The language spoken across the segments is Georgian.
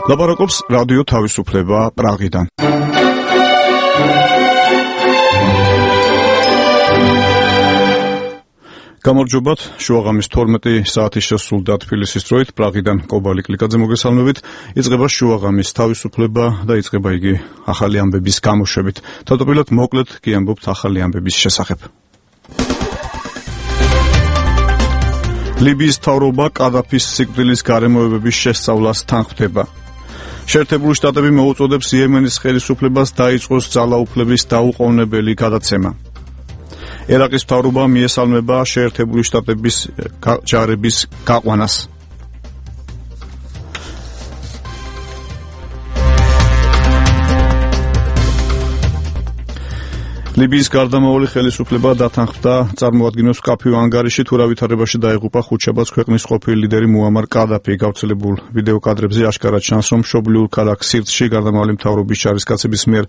ლაპარაკობს რადიო თავისუფლება პრაღიდან. გამარჯობათ, შუაღამის 12 საათის შესრულდა თბილისის დროით პრაღიდან კობალი კლიკაძე მოგესალმებით. იწყება შუაღამის თავისუფლება და იწყება იგი ახალი ამბების გამოშვებით. თავდაპირველად მოკლედ კი ამბობთ ახალი ამბების შესახებ. ლიბიის მთავრობა კადაფის სიკვდილის გარემოებების შესწავლას თანხმდება. შეერთებული შტატები მოუწოდებს იემენის ხელისუფლებას დაიწყოს ძალაუფლების დაუყოვნებელი გადაცემა. ერაყის მთავრობა მიესალმება შეერთებული შტატების ჯარების გაყვანას. ლიბიის გარდამავალი ხელისუფლება დათანხმდა წარმოადგინოს მკაფიო ანგარიში, თუ რა ვითარებაში დაიღუპა ხუთშაბათს ქვეყნის ყოფილი ლიდერი მუამარ კადაფი. გავრცელებულ ვიდეო კადრებზე აშკარად ჩანს, რომ მშობლიურ ქალაქ სირტში გარდამავალი მთავრობის ჯარისკაცების მიერ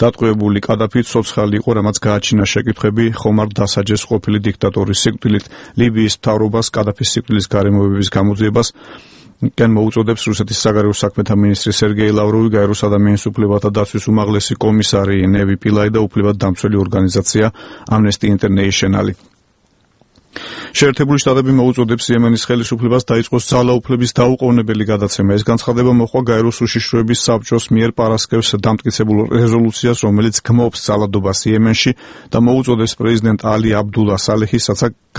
დატყვევებული კადაფი ცოცხალი იყო, რამაც გააჩინა შეკითხვები ხომარ დასაჯეს ყოფილი დიქტატორის სიკვდილით. ლიბიის მთავრობას კადაფის სიკვდილის გარემოებების გამოძიებას კენ მოუწოდებს რუსეთის საგარეო საქმეთა მინისტრი სერგეი ლავროვი, გაეროს ადამიანის უფლებათა დაცვის უმაღლესი კომისარი ნევი პილაი და უფლებადდამცველი ორგანიზაცია ამნესტი ინტერნეიშნალი. შეერთებული შტატები მოუწოდებს იემენის ხელისუფლებას დაიწყოს ძალაუფლების დაუყოვნებელი გადაცემა. ეს განცხადება მოხდა გაეროს უშიშროების საბჭოს მიერ პარასკევს დამტკიცებულ რეზოლუციას, რომელიც გმობს ძალადობას იემენში და მოუწოდებს პრეზიდენტ ალი აბდულა სალეჰის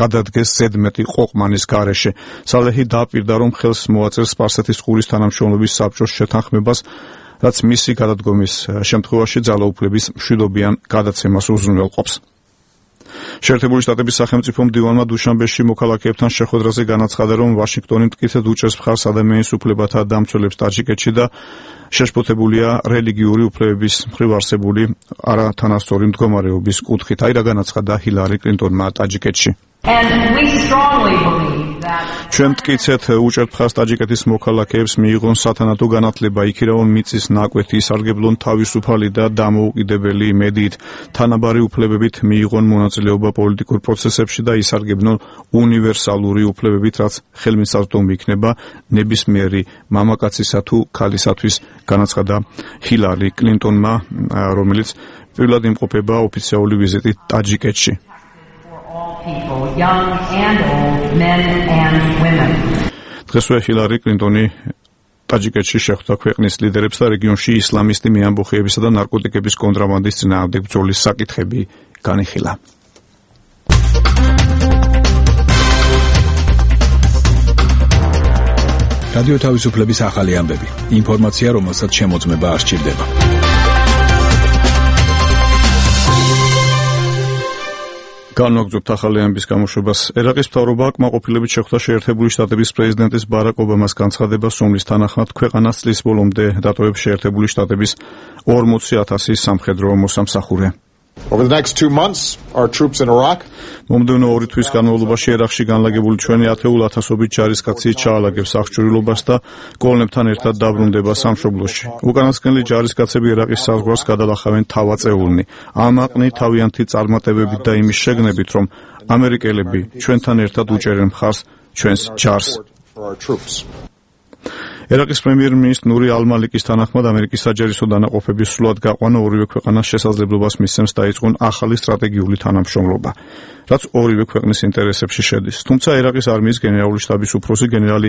გადადგეს ზედმეტი ყოყმანის გარეშე. სალეჰი დააპირდა, რომ ხელს მოაწერს სპარსეთის ყურის თანამშრომლობის საბჭოს შეთანხმებას, რაც მისი გადადგომის შემთხვევაში ძალაუფლების მშვიდობიან გადაცემას უზრუნველყოფს. შეერთებული შტატების სახელმწიფო მდივანმა დუშანბეში მოქალაქეებთან შეხვედრაზე განაცხადა, რომ ვაშინგტონი მტკიცედ უჭერს მხარს ადამიანის უფლებათა დამცველებს ტაჯიკეთში და შეშფოთებულია რელიგიური უფლებების მხრივ არსებული არათანასწორი მდგომარეობის კუთხით. აი რა განაცხადა ჰილარი კლინტონმა ტაჯიკეთში. ჩვენ მტკიცეთ უჭერთ მხარს ტაჯიკეთის მოქალაქეებს მიიღონ სათანადო განათლება, იქირავონ მიწის ნაკვეთი, ისარგებლონ თავისუფალი და დამოუკიდებელი მედიით, თანაბარი უფლებებით მიიღონ მონაწილეობა პოლიტიკურ პროცესებში და ისარგებლონ უნივერსალური უფლებებით, რაც ხელმისაწვდომი იქნება ნებისმიერი მამაკაცისა თუ ქალისათვის, განაცხადა ჰილარი კლინტონმა, რომელიც პირველად იმყოფება ოფიციალური ვიზიტით ტაჯიკეთში. დღესვე ჰილარი კლინტონი ტაჯიკეთში შეხვდა ქვეყნის ლიდერებს და რეგიონში ისლამისტი მეამბოხეებისა და ნარკოტიკების კონტრაბანდის წინააღმდეგ ბრძოლის საკითხები განიხილა. რადიო თავისუფლების ახალი ამბები. ინფორმაცია, რომელსაც შემოწმება არ სჭირდება. განვაგრძობთ ახალი ამბების გამოშვებას. ერაყის მთავრობა კმაყოფილებით შეხვდა შეერთებული შტატების პრეზიდენტის ბარაკ ობამას განცხადებას, რომლის თანახმად ქვეყანას წლის ბოლომდე დატოვებს შეერთებული შტატების 40,000 სამხედრო მოსამსახურე. Over the next 2 months, our troops in Iraq მომდევნო 2 თვის განმავლობაში ერაყში განლაგებული ჩვენი 10,000 ჯარისკაცი ჩაალაგებს აღჭურვილობას და კოლონებთან ერთად დაბრუნდება სამშობლოში. უკანასკნელი ჯარისკაცები ერაყის საზღვარს გადალახავენ თავაწეულნი. ამაყნი თავიანთი წარმატებებით და იმის შეგნებით, რომ ამერიკელები ჩვენთან ერთად უჭერენ მხარს ჩვენს ჯარს. ერაყის პრემიერ-მინისტრი ნური ალ-მალიკის თანახმად ამერიკის საჯარისო დანაყოფების სრულად გაყვანა ორივე ქვეყანას შესაძლებლობას მისცემს დაიწყონ ახალი სტრატეგიული თანამშრომლობა, რაც ორივე ქვეყნის ინტერესებში შედის. თუმცა ერაყის არმიის გენერალური შტაბის უფროსი გენერალი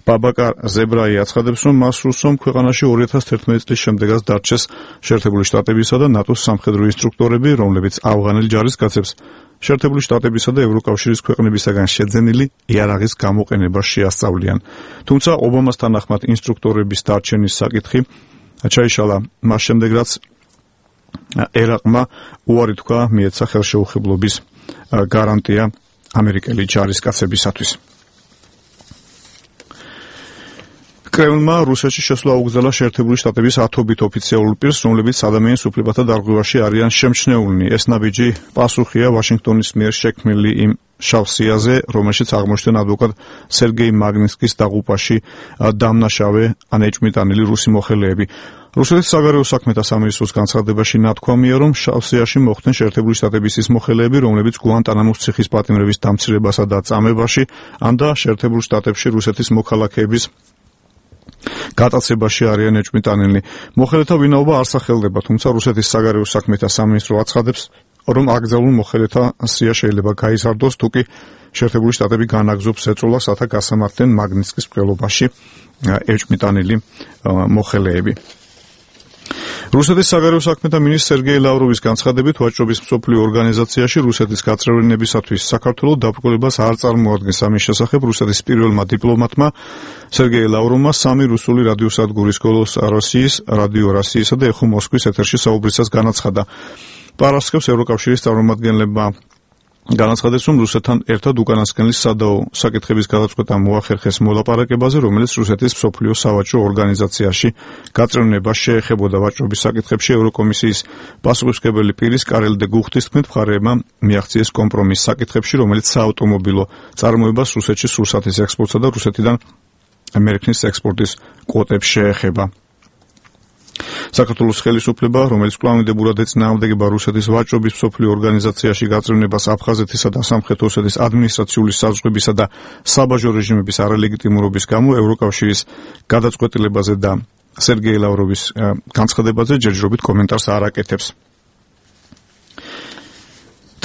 ბაბაკარ ზებრაი აცხადებს, რომ მას სურს, რომ ქვეყანაში 2011 წლის შემდეგაც დარჩეს შეერთებული შტატებისა და ნატოს სამხედრო ინსტრუქტორები, რომლებიც ავღანელ ჯარისკაცებს შეერთებული შტატებისა და ევროკავშირის ქვეყნებისაგან შეძენილი იარაღის გამოყენებას შეასწავლიან. თუმცა ობამას თანახმად ინსტრუქტორების დარჩენის საკითხი ჩაიშალა მას შემდეგ, რაც ერაყმა უარი თქვა მიეცა ხელშეუხებლობის გარანტია ამერიკელი ჯარისკაცებისათვის. კრემლმა რუსეთში შესვლა აუგზავნა შეერთებული შტატების 10 ოფიციალურ პირს, რომლებიც ადამიანის უფლებათა დარღვევაში არიან შემჩნეულნი. ეს ნაბიჯი პასუხია ვაშინგტონის მიერ შექმნილი იმ შავსიაზე, რომელშიც აღმოჩნდნენ ადვოკატ სერგეი მაგნიტსკის დაღუპვაში დამნაშავე ანეჭმიტანილი რუსი მოხელეები. რუსეთის საგარეო საქმეთა სამინისტროს განცხადებაში ნათქვამია, რომ შავსიაში მოხვდნენ შეერთებული შტატების ის მოხელეები, რომლებიც გუანტანამოს ციხის პატიმრების დამცირებასა და წამებაში, ან და შეერთებულ შტატებში რუსეთის მოქალაქეების გატაცებაში არიან ეჭვმიტანილნი. მოხელეთა ვინაობა არ სახელდება, თუმცა რუსეთის საგარეო საქმეთა სამინისტრო აცხადებს, რომ აკრძალულ მოხელეთა სია შეიძლება გაიზარდოს, თუკი შეერთებული შტატები განაგზობს ეწოლას, რათა გასამართლდნენ მაგნიტსკის მკვლელობაში ეჭვმიტანილი მოხელეები. რუსეთის საგარეო საქმეთა მინისტრ სერგეი ლავროვის განცხადებით, ვაჭრობის მსოფლიო ორგანიზაციაში რუსეთის გაწევრიანებისათვის საქართველოს დაბრკოლებას არ წარმოადგენს. ამის შესახებ რუსეთის პირველმა დიპლომატმა სერგეი ლავროვმა 3 რუსული რადიოსადგურის „გოლოს როსიის“, რადიო როსიისა და ეხო მოსკვის ეთერში საუბრისას განაცხადა. პარასკევს ევროკავშირის წარმომადგენლებმა განაცხადეს, რომ რუსეთთან ერთად უკანასკნელის სადაო საკითხების გადაწყვეტა მოახერხეს მოლაპარაკებაზე, რომელიც რუსეთის მსოფლიო სავაჭრო ორგანიზაციაში გაწევრიანება შეეხებოდა. ვაჭრობის საკითხებში ევროკომისიის პასუხისმგებელი პირის კარელ დე გუხტის თქმით, მხარეებმა მიაღწიეს კომპრომის საკითხებში, რომელიც საავტომობილო წარმოებას რუსეთში სურსათის ექსპორტსა და რუსეთიდან მერქნის ექსპორტის კვოტებს შეეხება. საქართველოს ხელისუფლება, რომელიც კვლავინდებურად ეწინააღმდეგება რუსეთის ვაჭრობის მსოფლიო ორგანიზაციაში გაწევრიანებას აფხაზეთისა და სამხრეთ ოსეთის ადმინისტრაციული საზღვრებისა და საბაჟო რეჟიმების არალეგიტიმურობის გამო ევროკავშირის გადაწყვეტილებაზე და სერგეი ლავროვის განცხადებაზე ჯერჯერობით კომენტარს არ აკეთებს.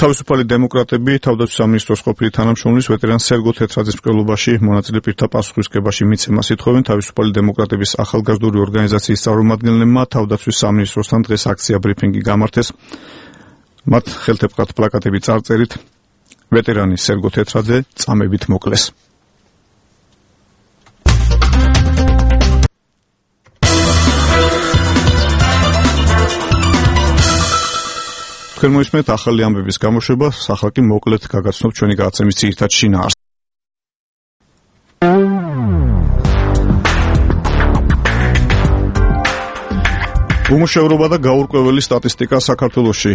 თავისუფალი დემოკრატები თავდაცვის სამინისტროს ყოფილი თანამშრომლის ვეტერან სერგო თეთრაძის მკვლელობაში მონაწილე პირთა პასუხისმგებაში მიცემას ითხოვენ. თავისუფალი დემოკრატების ახალგაზრდული ორგანიზაციის წარმომადგენლებმა თავდაცვის სამინისტროსთან დღეს აქცია ბრიფინგი გამართეს. მათ ხელთეპყრად პლაკატები წარწერით ვეტერანი სერგო თეთრაძე წამებით მოკლეს. თქვენ მოისმენთ ახალი ამბების გამოშვება, ახლა კი მოკლედ გაგაცნობთ ჩვენი გადაცემის ძირითად შინაარსს. უმუშევრობა და გაურკვეველი სტატისტიკა საქართველოში.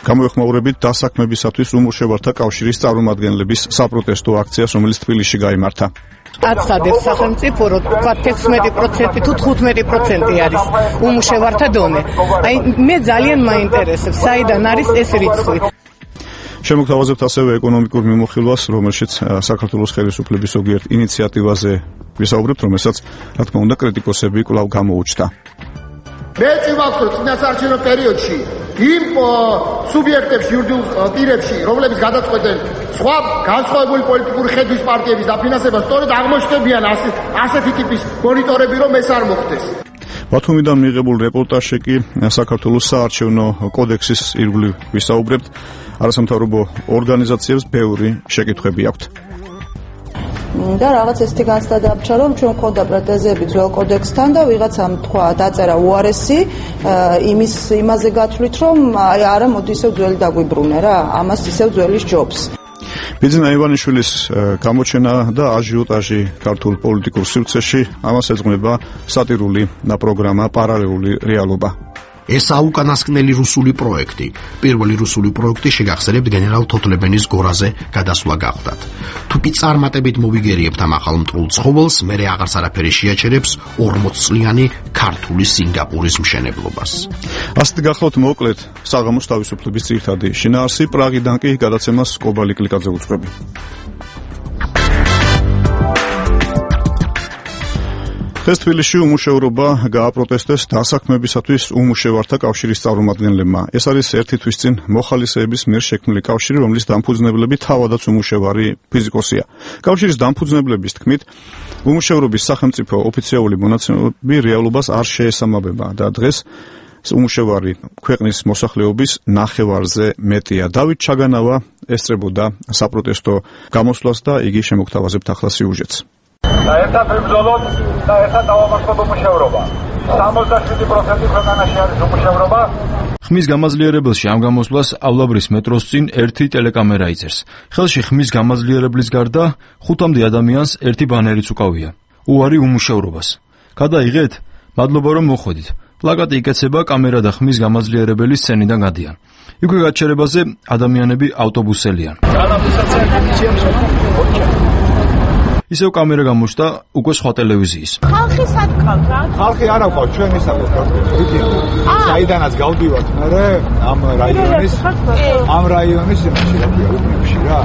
გამოეხმაურებით დასაქმებისათვის უმუშევართა კავშირის წარმომადგენლების საპროტესტო აქციას, რომელიც თბილისში გაიმართა. აცადებს სახელმწიფო, რომ თქვა 16% თუ 15% არის უმუშევართა დონე. აი მე ძალიან მაინტერესებს, საიდან არის ეს რიცხვი. შემოგთავაზებთ ასევე ეკონომიკურ მიმოხილვას, რომელშიც საქართველოს ხელისუფლების ზოგიერთ ინიციატივაზე ვისაუბრებთ, რომელსაც რა თქმა უნდა კრიტიკოსები კვლავ გამოუჩნდა. მე წვავთ, რომ წინასაარჩევნო პერიოდში იმ სუბიექტებში, იურიდიულ პირებში, რომლებიც გადაწყვეტენ სხვა განსხვავებული პოლიტიკური ხედვის პარტიების დაფინანსებას, სწორედ აღმოჩნდებიან ასეთი ტიპის მონიტორები, რომ ეს არ მოხდეს. ბათუმიდან მიღებულ რეპორტაჟში კი საქართველოს საარჩევნო კოდექსის ირგვლივ ვისაუბრებთ. არასამთავრობო ორგანიზაციებს ბევრი შეკითხვები აქვთ. და რაღაც ესეთი განცდა დააბჭა, რომ ჩვენ მქონდა პრეტენზიები ძველ კოდექსთან და ვიღაცამ თქვა დაწერა უარესი იმაზე გათვლით, რომ აი არა მოდი ისევ ძველი დაგვიბრუნე რა, ამას ისევ ძველი სჯობს. ბიძინა ივანიშვილის გამოჩენა და აჟიოტაჟი ქართულ პოლიტიკურ სივრცეში, ამას ეძღვნება სატირული პროგრამა პარალელური რეალობა. ეს აუკანასკნელი რუსული პროექტი. პირველი რუსული პროექტი შეგახსენებთ გენერალ თოთლებენის გორაზე გადასვლა გახდათ. თუკი წარმატებით მოვიგერიებთ ამ ახალ მტრულ ცხოველს, მერე აღარც არაფერი შეაჩერებს 40 წლიანი ქართული სინგაპურის მშენებლობას. ასეთ გახლავთ მოკლედ საღამოს თავისუფლების ძირითადი შინაარსი, პრაღიდან კი გადაცემას კობალი კლიკაძე უძღვები. დღეს თბილისში უმუშევრობა გააპროტესტეს დასაქმებისათვის უმუშევართა კავშირის წარმომადგენლებმა. ეს არის ერთი თვის წინ მოხალისეების მიერ შექმნილი კავშირი, რომლის დამფუძნებლები თავადაც უმუშევარი ფიზიკოსია. კავშირის დამფუძნებლების თქმით, უმუშევრობის სახელმწიფო ოფიციალური მონაცემები რეალობას არ შეესაბამება და დღეს უმუშევარი ქვეყნის მოსახლეობის ნახევარზე მეტია. დავით ჩაგანავა ესწრებოდა საპროტესტო გამოსვლას და იგი შემოგთავაზებთ ახლა სიუჟეტს. და ერთად ვიბრძოლოთ და ერთად დავამარცხოთ უმუშევრობა. 67% ქვეყანაში არის უმუშევრობა. ხმის გამაძლიერებელში ამ გამოსვლას ავლაბრის მეტროს წინ ერთი ტელეკამერა იწერს. ხელში ხმის გამაძლიერებლის გარდა 5-მდე ადამიანს ერთი ბანერიც უკავია. უარი უმუშევრობას. გადაიღეთ? მადლობა რომ მოხვედით. პლაკატი იკეცება, კამერა და ხმის გამაძლიერებელი სცენიდან გადიან. იქვე გაჩერებაზე ადამიანები ავტობუსელიან. ისევ კამერა გამოჩნდა უკვე სხვა ტელევიზიის. ხალხი სად ყავს რა? ხალხი არ აქვს, ჩვენ ისაუბრობთ გაქრით. საიდანაც გავდივართ მე ამ რაიონის რა ქვია, უბნებში რა.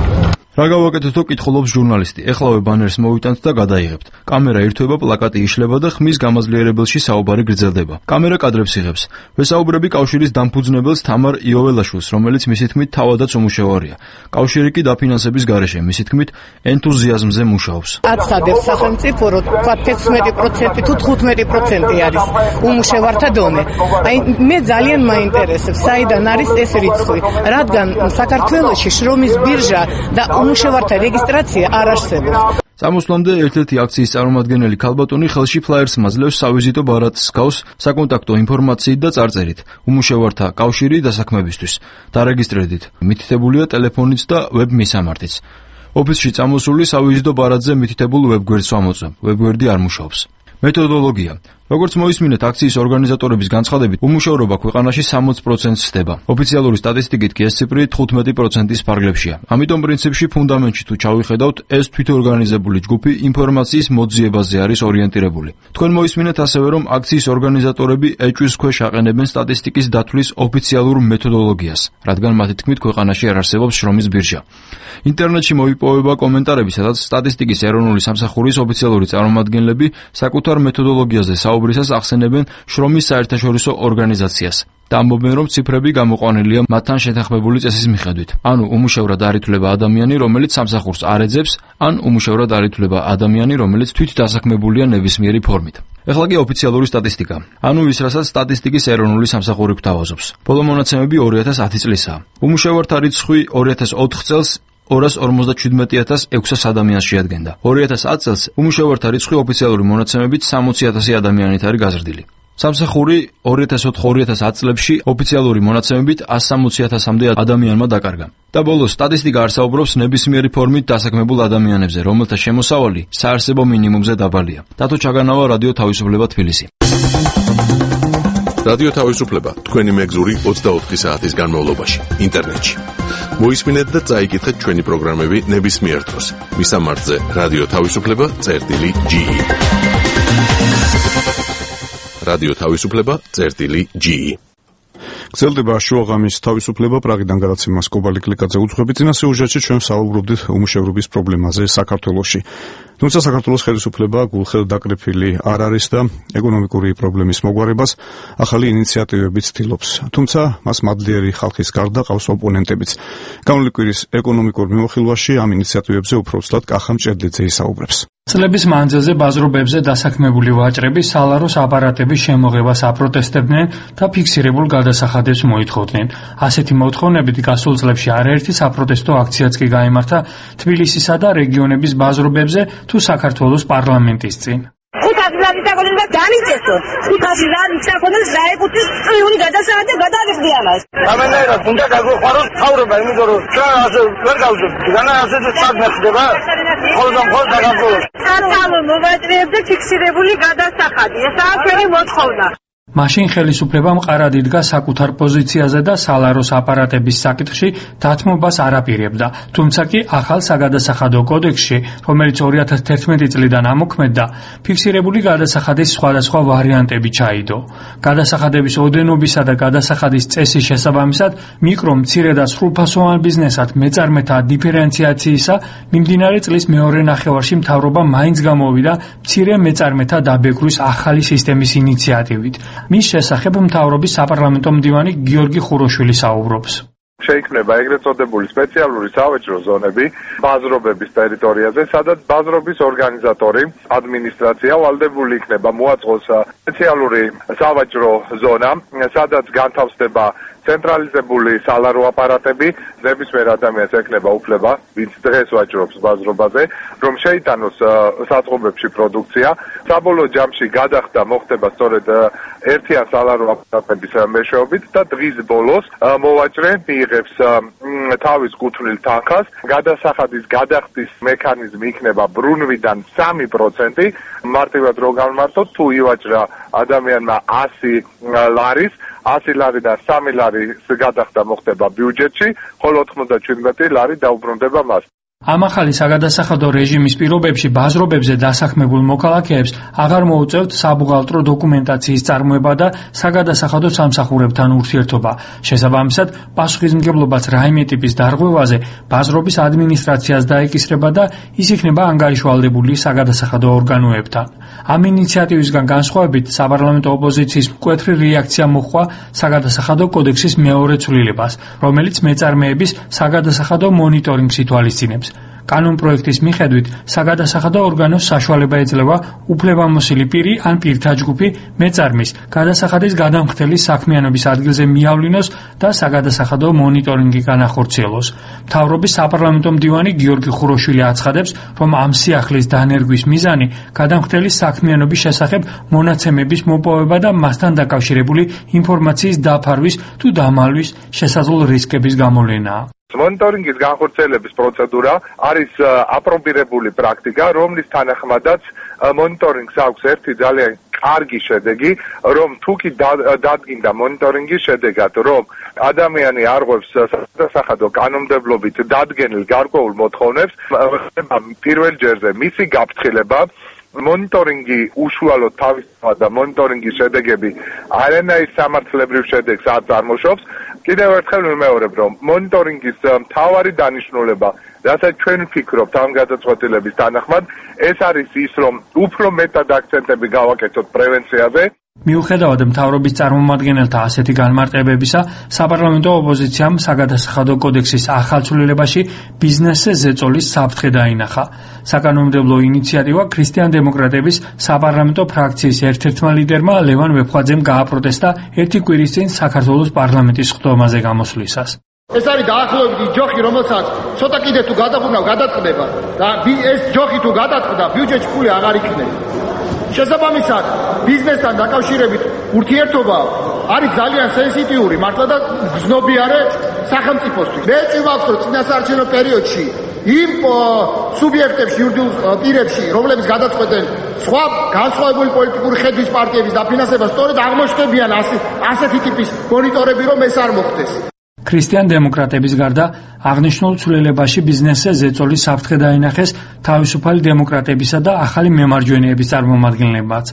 რა გავაკეთეთო, კითხულობს ჟურნალისტი. ეხლავე ბანერს მოვიტანთ და გადაიღებთ. კამერა ირთვება, პლაკატი იშლება და ხმის გამაძლიერებელში საუბარი გრძელდება. კამერა კადრებს იღებს. ვესაუბრები კავშირის დამფუძნებელს თამარ იოველაშვილს, რომელიც მისი თქმით თავადაც უმუშევარია. კავშირი კი დაფინანსების გარეშე, მისი თქმით ენთუზიაზმზე მუშაობს. აცხადებს სახელმწიფო, რომ თქვა 16% თუ 15% არის უმუშევართა დონე. აი მე ძალიან მაინტერესებს, საიდან არის ეს რიცხვი, რადგან საქართველოში შრომის ბირჟა და უმუშევართა რეგისტრაცია არ არსებობს. Წამოსვლამდე ერთ-ერთი აქციის წარმომადგენელი ქალბატონი ხელში ფლაიერს მაძლევს სავიზიტო ბარათს გავს საკონტაქტო ინფორმაციით და წარწერით. უმუშევართა კავშირი დასაქმებისთვის. დარეგისტრირდით. მითითებულია ტელეფონიც და ვებ მისამართიც. ოფისში წამოსული სავიზიტო ბარათზე მითითებულ ვებგვერდს ვამოწმებ. ვებგვერდი არ მუშაობს. მეთოდოლოგია. როგორც მოისმინეთ, აქციის ორგანიზატორების განცხადებით, უმუშევრობა ქვეყანაში 60%-ს ხდება. ოფიციალური სტატისტიკით კი ეს ციფრი 15%-ის ფარგლებშია. ამიტომ პრინციპში ფუნდამენტში თუ ჩავიხედავთ, ეს თვითორგანიზებული ჯგუფი ინფორმაციის მოძიებაზე არის ორიენტირებული. თქვენ მოისმინეთ ასევე, რომ აქციის ორგანიზატორები ეჭვის ქვეშ აყენებენ სტატისტიკის დათვლის ოფიციალურ მეთოდოლოგიას, რადგან მათი თქმით ქვეყანაში არ არსებობს შრომის ბირჟა. ინტერნეტში მოიპოვება კომენტარები, სადაც სტატისტიკის ეროვნული სამსახურის ოფიციალური წარმომადგენლები საკუთარ მეთოდოლოგიაზე საუბრისას ახსენებენ შრომის საერთაშორისო ორგანიზაციას და ამბობენ, რომ ციფრები გამოყვანილია მათთან შეთანხმებული წესის მიხედვით. ანუ უმუშევრად არ ითვლება ადამიანი, რომელიც სამსახურს არ ეძებს, ან უმუშევრად არ ითვლება ადამიანი, რომელიც თვით დასაქმებულია ნებისმიერი ფორმით. ეხლა კი ოფიციალური სტატისტიკა. ანუ ის, რასაც სტატისტიკის ეროვნული სამსახური გვთავაზობს. ბოლო მონაცემები 2010 წლისაა. უმუშევართა რიცხვი 2004 წელს 257.600 ადამიანს შეადგენდა. 2010 წელს უმუშევართა რიცხვი ოფიციალური მონაცემებით 60.000 ადამიანით არის გაზრდილი. სამსახური 2004-2010 წლებში ოფიციალური მონაცემებით 160.000-მდე ადამიანმა დაკარგა. და ბოლოს სტატისტიკა არ საუბრობს ნებისმიერი ფორმით დასაქმებულ ადამიანებზე, რომელთა შემოსავალი საარსებო მინიმუმზე დაბალია. დათო ჩაგანავა, რადიო თავისუფლება, თბილისი. რადიო თავისუფლება, თქვენი მეგზური 24 საათის განმავლობაში, ინტერნეტში. მოისმინეთ და წაიკითხეთ ჩვენი პროგრამები ნებისმიერ დროს. მისამართზე რადიო თავისუფლება.ge. რადიო თავისუფლება.ge. გრძელდება შუაღამის თავისუფლება, პრაღიდან გადაცემას კობალი კლიკაძე უძღვებით. წინა სიუჟეტში ჩვენ საუბრობდით უმუშევრობის პრობლემაზე საქართველოში. თუმცა საქართველოს ხელისუფლება გულხელ დაკრიფილი არ არის და ეკონომიკური პრობლემის მოგვარებას ახალი ინიციატივებით ცდილობს. თუმცა მას მადლიერი ხალხის გარდა ყავს ოპონენტებიც. გამოვლი კვირის ეკონომიკურ მიმოხილვაში ამ ინიციატივებზე უფრო ცუდად კახა მჭედლიძე ისაუბრებს. წლების მანძილზე ბაზრობებზე დასაქმებული ვაჭრები სალაროს აპარატების შემოღებას აპროტესტებდნენ და ფიქსირებულ გადასახადებს მოითხოვდნენ. ასეთი მოთხოვნებით გასულ წლებში არაერთი საპროტესტო აქციაც კი გაიმართა თბილისისა და რეგიონების ბაზრობებზე თუ საქართველოს პარლამენტის წინ. 500 ლარი დაგონება განიწესო. 500 ლარი ჩაკონდეს დაეკუთვნის წვიური გადასახადი და გადაიღდი ამას. ამენაირად უნდა გაგვეხმაროს თავრობა, იმიტომ რომ ჩვენ ასე ვერ გავზრდით. განა ასეთი საქმე ხდება. ხოლმე დაგაგულოს. საქართველოს მოვაჭრეებზე ფიქსირებული გადასახადი. ესაა ჩვენი მოთხოვნა. მაშინ ხელისუფლება მყარად იდგა საკუთარ პოზიციაზე და სალაროს აპარატების საკითხში დათმობას არ აპირებდა. თუმცა კი ახალ საგადასახადო კოდექსში, რომელიც 2011 წლიდან ამოქმედდა, ფიქსირებული გადასახადის სხვადასხვა ვარიანტები ჩაიდო. გადასახადების ოდენობისა და გადასახადის წესის შესაბამისად, მიკრო, მცირე და სრულფასოვან ბიზნესად მეწარმეთა დიფერენციაციისა მიმდინარე წლის მეორე ნახევარში მთავრობა მაინც გამოვიდა მცირე მეწარმეთა დაბეგვრის ახალი სისტემის ინიციატივით. მის შესახებ მთავრობის საპარლამენტო მდივანი გიორგი ხუროშვილი საუბრობს. შეიქმნება ეგრეთ წოდებული სპეციალური სავაჭრო ზონები ბაზრობების ტერიტორიაზე, სადაც ბაზრობის ორგანიზატორი, ადმინისტრაცია ვალდებული იქნება მოაწყოს სპეციალური სავაჭრო ზონა, სადაც განთავსდება ცენტრალიზებული სალარო აპარატები, ნებისმიერ ადამიანს ექნება უფლება, ვინც დღეს ვაჭრობს ბაზრობაზე, რომ შეიტანოს საწყობებში პროდუქცია. საბოლოო ჯამში გადახდა მოხდება სწორედ ერთიან სალარო აპარატების მეშვეობით და დღის ბოლოს მოვაჭრე მიიღებს თავის კუთვნილ თანხას. გადასახადის გადახდის მექანიზმი იქნება ბრუნვიდან 3%. მარტივად რო გავმართოთ, თუ ივაჭრა ადამიანმა 100 ლარის, 100 ლარი და 3 ლარი გადახდა მოხდება ბიუჯეტში, ხოლო 97 ლარი დაუბრუნდება მას. ამ ახალი საგადასახადო რეჟიმის პირობებში ბაზრობებზე დასაქმებულ მოქალაქეებს აღარ მოუწევთ საბუღალტრო დოკუმენტაციის წარმოება და საგადასახადო სამსახურებთან ურთიერთობა. შესაბამისად, პასუხისმგებლობაც რაიმე ტიპის დარღვევაზე ბაზრობის ადმინისტრაციას დაეკისრება და ის იქნება ანგარიშვალდებული საგადასახადო ორგანოებთან. ამ ინიციატივისგან განსხვავებით, საპარლამენტო ოპოზიციის მკვეთრი რეაქცია მოჰყვა საგადასახადო კოდექსის მეორე ცვლილებას, რომელიც მეწარმეების საგადასახადო მონიტორინგს ითვალისწინებს. კანონპროექტის მიხედვით საგადასახადო ორგანოს საშუალება ეძლევა უფლებამოსილი პირი ან პირთა ჯგუფი მეწარმის გადასახადის გადამხდელის საქმიანობის ადგილზე მიავლინოს და საგადასახადო მონიტორინგი განახორციელოს. მთავრობის საპარლამენტო მდივანი გიორგი ხუროშვილი აცხადებს, რომ ამ სიახლის დანერგვის მიზანი გადამხდელის საქმიანობის შესახებ მონაცემების მოპოვება და მასთან დაკავშირებული ინფორმაციის დაფარვის თუ დამალვის შესაძლო რისკების გამოვლენაა. მონიტორინგის განხორციელების პროცედურა არის აპრობირებული პრაქტიკა, რომლის თანახმადაც მონიტორინგს აქვს ერთი ძალიან კარგი შედეგი, რომ თუკი დადგინდა მონიტორინგის შედეგად, რომ ადამიანი არღვევს საგადასახადო კანონმდებლობით დადგენილ გარკვეულ მოთხოვნებს, პირველ ჯერზე მისი გაფრთხილება მონიტორინგი უშუალოდ თავისთავად და მონიტორინგის შედეგები არანაირ სამართლებრივ შედეგს არ წარმოშობს. კიდევ ერთხელ ვიმეორებ, რომ მონიტორინგის მთავარი დანიშნულება, რასაც ჩვენ ვფიქრობთ ამ გადაწყვეტილების თანახმად, ეს არის ის, რომ უფრო მეტად აქცენტები გავაკეთოთ პრევენციაზე. მიუხედავად მთავრობის წარმომადგენელთა ასეთი განმარტებებისა, საპარლამენტო ოპოზიციამ საგადასახადო კოდექსის ახალ ცვლილებაში ბიზნესზე ზეწოლის საფრთხე დაინახა. საკანონმდებლო ინიციატივა ქრისტიან-დემოკრატების საპარლამენტო ფრაქციის ერთ-ერთმა ლიდერმა ლევან ვეფხვაძემ გააპროტესტა ერთი კვირის წინ საქართველოს პარლამენტის ხდომაზე გამოსვლისას. ეს არის დაახლოებით ჯოხი, რომელსაც ცოტა კიდე თუ გადაბრუნავ გადაწყდება და ეს ჯოხი თუ გადაწყდა, ბიუჯეტში ფული აღარ იქნება. შესაბამისად, ბიზნესთან დაკავშირებით ურთიერთობა არის ძალიან სენსიტიური, მართლა და გზნობიარე სახელმწიფოსთვის. მე წვიმაქვს, რომ წინასაარჩევნო პერიოდში იმ სუბიექტებში, იურიდიულ პირებში, რომლებიც გადაწყვეტენ სხვა განსხვავებული პოლიტიკური ხედვის პარტიების დაფინანსებას, სწორედ აღმოჩნდებიან ასეთი ტიპის მონიტორები, რომ ეს არ მოხდეს. ქრისტიან-დემოკრატების გარდა აღნიშნულ ცვლილებაში ბიზნესზე ზეწოლის საფრთხე დაინახეს თავისუფალი დემოკრატებისა და ახალი მემარჯვენეების წარმომადგენლებმაც.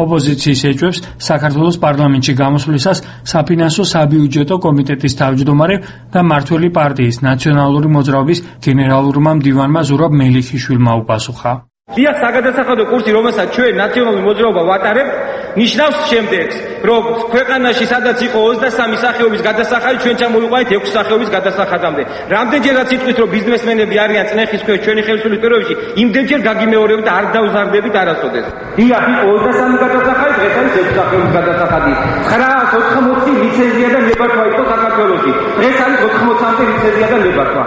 ოპოზიციის ეჭვებს საქართველოს პარლამენტში გამოსვლისას საფინანსო საბიუჯეტო კომიტეტის თავმჯდომარე და მმართველი პარტიის ნაციონალური მოძრაობის გენერალურმა მდივანმა ზურაბ მელიქიშვილმა უპასუხა. დიახ, საგადასახადო კურსი, რომელსაც ჩვენ ნაციონალური მოძრაობა ვატარებთ, ნიშნავს შემდეგს, რომ ქვეყანაში სადაც იყო 23 სახეობის გადასახადი, ჩვენ ჩამოვიყვანეთ 6 სახეობის გადასახადამდე. რამდენჯერაც იტყვით, რომ ბიზნესმენები არიან წნეხის ქვეშ ჩვენი ხელისუფლების პირობებში, იმდენჯერ გაგიმეორებით და არ დავზარდებით არასოდეს. დიახ, იყო 23 გადასახადი, დღეს არის 6 სახეობის გადასახადი. 980 ლიცენზია და ნებართვა იყო საქართველოში. დღეს არის 80-მდე ლიცენზია და ნებართვა.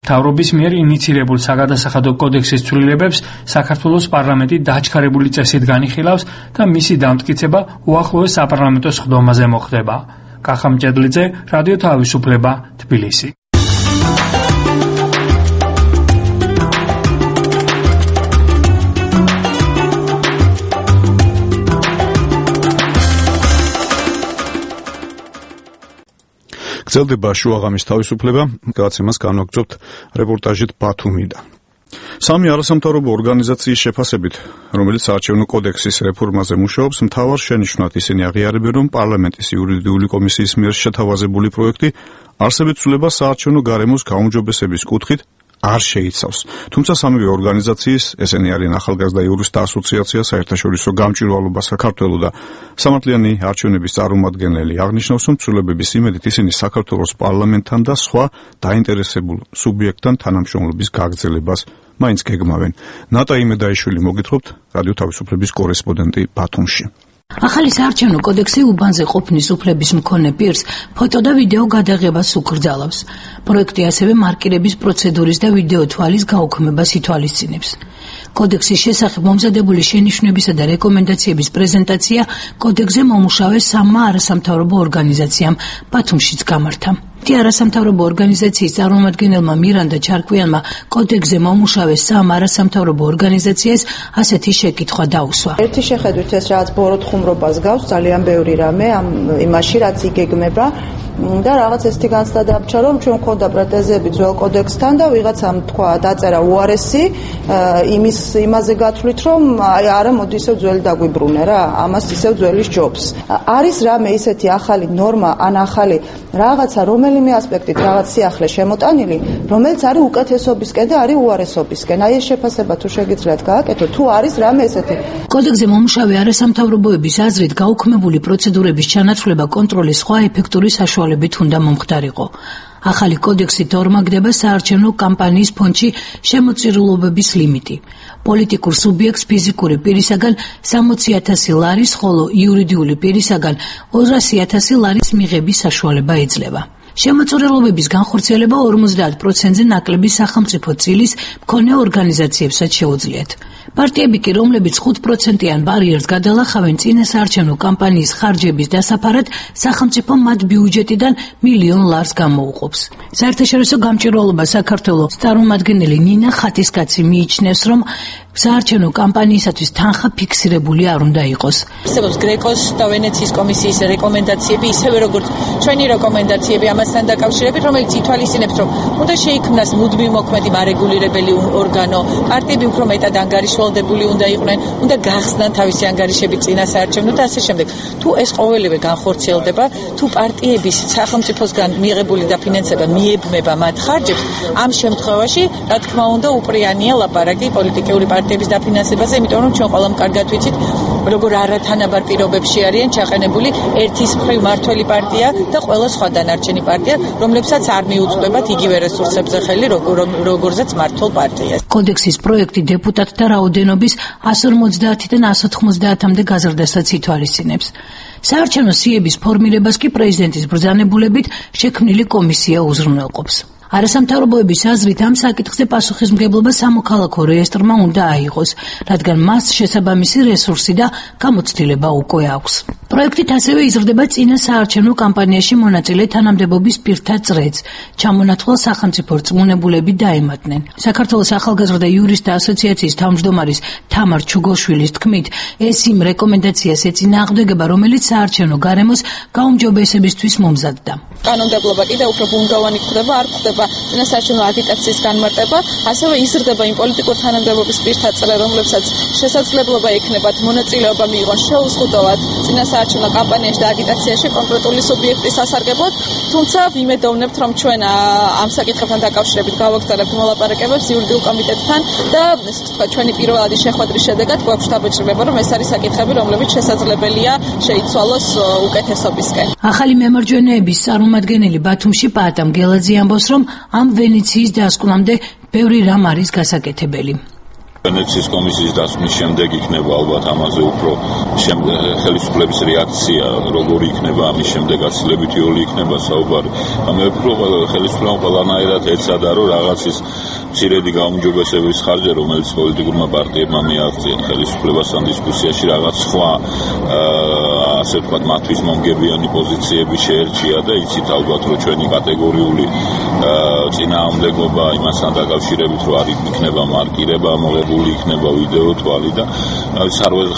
მთავრობის მიერ ინიცირებულ საგადასახადო კოდექსის ცვლილებებს საქართველოს პარლამენტი დაჩქარებული წესით განიხილავს და მისი დამტკიცება უახლოეს საპარლამენტო ხდომაზე მოხდება. კახა მჭედლიძე, რადიო თავისუფლება, თბილისი. გრძელდება შუაღამის თავისუფლება, გადაცემას განვაგრძობთ რეპორტაჟით ბათუმიდან. სამი არასამთავრობო ორგანიზაციის შეფასებით, რომელიც საარჩევნო კოდექსის რეფორმაზე მუშაობს, მთავარ შენიშვნად ისინი აღიარებენ, რომ პარლამენტის იურიდიული კომისიის მიერ შეთავაზებული პროექტი არსებით ცვლილებას საარჩევნო გარემოს გაუმჯობესების კუთხით არ შეიცავს. თუმცა სამივე ორგანიზაციის, ესენი არიან ახალგაზრდა იურისტთა ასოციაცია, საერთაშორისო გამჭვირვალობა საქართველოს და სამართლიანი არჩევნების წარმომადგენელი, აღნიშნავს, რომ ცვლილებების იმედით ისინი საქართველოს პარლამენტთან და სხვა დაინტერესებულ სუბიექტთან თანამშრომლობის გაგრძელებას მაინც გეგმავენ. ნატა იმედაიშვილი მოგითხრობთ, რადიო თავისუფლების კორესპონდენტი ბათუმში. ახალი საარჩევნო კოდექსი უბანზე ყოფნის უფლების მქონე პირს ფოტო და ვიდეო გადაღებას უკრძალავს. პროექტი ასევე მარკირების პროცედურის და ვიდეო თვალის გაუქმებას ითვალისწინებს. კოდექსის შესახებ მომზადებული შენიშვნებისა და რეკომენდაციების პრეზენტაცია კოდექსზე მომუშავე სამმა არასამთავრობო ორგანიზაციამ ბათუმშიც გამართა. არასამთავრობო ორგანიზაციის წარმომადგენელმა მირანდა ჩარკვიანმა კოდექსზე მომუშავე სამ არასამთავრობო ორგანიზაციას ასეთი შეკითხვა დაუსვა. ერთი შეხედვით ეს რაღაც ბოროტხუმრობას გავს ძალიან ბევრი რამე ამ იმაში რაც იგეგმება და რაღაც ესეთი განცდა დაბჭა რომ ჩვენ მქონდა პრეტენზიები ძველ კოდექსთან და ვიღაცამ თქვა დაწერა უარესი იმაზე გათვლით რომ არა მოდი ისევ ძველი დაგვიბრუნე რა ამას ისევ ძველი ჯობს. არის რამე ისეთი ახალი ნორმა ან ახალი რაღაცა რომელიმე ასპექტით რაღაც სიახლე შემოტანილი რომელიც არის უკეთესობისკენ და არის უარესობისკენ. აი ეს შეფასება თუ შეგიძლიათ გააკეთოთ თუ არის რამე ესეთი. კოდექსზე მომუშავე არასამთავრობოების აზრით გაუქმებული პროცედურების ჩანაცვლება კონტროლის სხვა ეფექტური საშუალებით უნდა მომხდარიყო. ახალი კოდექსით ორმაგდება საარჩევნო კამპანიის ფონდში შემოწირულობების ლიმიტი. პოლიტიკურ სუბიექტს ფიზიკური პირისაგან 60,000 ლარის, ხოლო იურიდიული პირისაგან 200,000 ლარის მიღების საშუალება ეძლევა. შემოწირულობების განხორციელება 50%-ზე ნაკლები სახელმწიფო წილის მქონე ორგანიზაციებსაც შეუძლიათ. პარტიები კი, რომლებიც 5%-იან ბარიერს გადალახავენ წინასაარჩევნო კამპანიის ხარჯების დასაფარად, სახელმწიფო მათ ბიუჯეტიდან $1,000,000 ლარს გამოუყოფს. საერთაშორისო გამჭვირვალობა საქართველოს წარმომადგენელი ნინა ხატისკაცი მიიჩნევს, რომ საარჩევნო კამპანიისათვის თანხა ფიქსირებული არ უნდა იყოს. არსებობს გრეკოს და ვენეციის კომისიის რეკომენდაციები, ისევე როგორც ჩვენი რეკომენდაციები ამასთან დაკავშირებით, რომელიც ითვალისწინებს, რომ უნდა შეიქმნას მუდმივ მოქმედი მარეგულირებელი ორგანო, პარტიები უფრო მეტად ანგარიშვალდებული უნდა იყვნენ, უნდა გახსნან თავისი ანგარიშები წინასაარჩევნო და ასე შემდეგ. თუ ეს ყოველივე განხორციელდება, თუ პარტიების სახელმწიფოსგან მიღებული დაფინანსება მიებმება მათ ხარჯებს, ამ შემთხვევაში, რა თქმა უნდა, უპრიანია ლაპარაკი პოლიტიკური პარტიების დაფინანსებაზე, იმიტომ რომ ჩვენ ყველამ კარგად ვიცით, როგორ არათანაბარ პირობებში არიან ჩაყენებული ერთის მხრივ მართველი პარტია და ყველა სხვა დანარჩენი პარტია, რომლებსაც არ მიუწვდებათ იგივე რესურსებზე ხელი, როგორზეც მართულ პარტიას. კოდექსის პროექტი დეპუტატთა რაოდენობის 150-დან 190-მდე გაზრდასაც ითვალისწინებს. საარჩევნო სიების ფორმირებას კი პრეზიდენტის ბრძანებულებით შექმნილი კომისია უზრუნველყოფს. არასამთავრობოების აზრით ამ საკითხზე პასუხისმგებლობა სამოქალაქო რეესტრმა უნდა აიღოს, რადგან მას შესაბამისი რესურსი და გამოცდილება უკვე აქვს. პროექტით ასევე იზრდება წინა საარჩევნო კამპანიაში მონაწილე თანამდებობის პირთა წრეც. ჩამონათვალ სახელმწიფო რწმუნებულები დაემატნენ. საქართველოს ახალგაზრდა იურისტთა ასოციაციის თავმჯდომარის თამარ ჩუგოშვილის თქმით, ეს იმ რეკომენდაციას ეწინააღმდეგება, რომელიც საარჩევნო გარემოს გაუმჯობესებისთვის მომზადდა. კანონმდებლობა კიდევ უფრო ბუნგოვანი ხდება, არ ხდება წინასაარჩევნო აგიტაციის განმარტება, ასევე იზრდება იმ პოლიტიკურ თანამდებობის პირთა წრე, რომლებსაც შესაძლებლობა ექნებათ მონაწილეობა მიიღონ შეუზღუდავად წინასაარჩევნო კამპანიაში და აგიტაციაში კონკრეტული სუბიექტის სასარგებლოდ, თუმცა ვიმედოვნებთ, რომ ჩვენ ამ საკითხებთან დაკავშირებით გავაგზავნებთ მოლაპარაკებებს იურიდიულ კომიტეტთან და ესე ვთქვა, ჩვენი პირველადი შეხვედრის შედეგად გვაქვს დაბეჭდილება, რომ ეს არის საკითხები, რომლებიც შესაძლებელია შეიცვალოს უკეთესობისკენ. ახალი მემარჯვენეების წარმომადგენელი ბათუმში პაატამ გელაძე ამბობს, რომ ამ ვენეციის დასკვნამდე ბევრი რამ არის გასაკეთებელი. ვენეციის კომისიის დასკვნის შემდეგ იქნება ალბათ ამაზე უფრო ხელისუფლების რეაქცია, როგორი იქნება ამის შემდეგ აცილებითი როლი იქნება საუბარი. მე ვფიქრობ, ხელისუფლებამ ყველანაირად ეცადა, რომ რაღაცის მცირედი გაუმჯობესების ხარჯზე, რომელიც პოლიტიკურმა პარტიებმა მიაღწიეს ხელისუფლებასთან დისკუსიაში, რაღაც სხვა ასე ვთქვათ, მათთვის მომგებიანი პოზიციები შეერჩია და იცით ალბათ, რომ ჩვენი კატეგორიული წინააღმდეგობა იმასთან დაკავშირებით, რომ არ იქნება მარკირება მოღებული იქნება ვიდეო თვალი და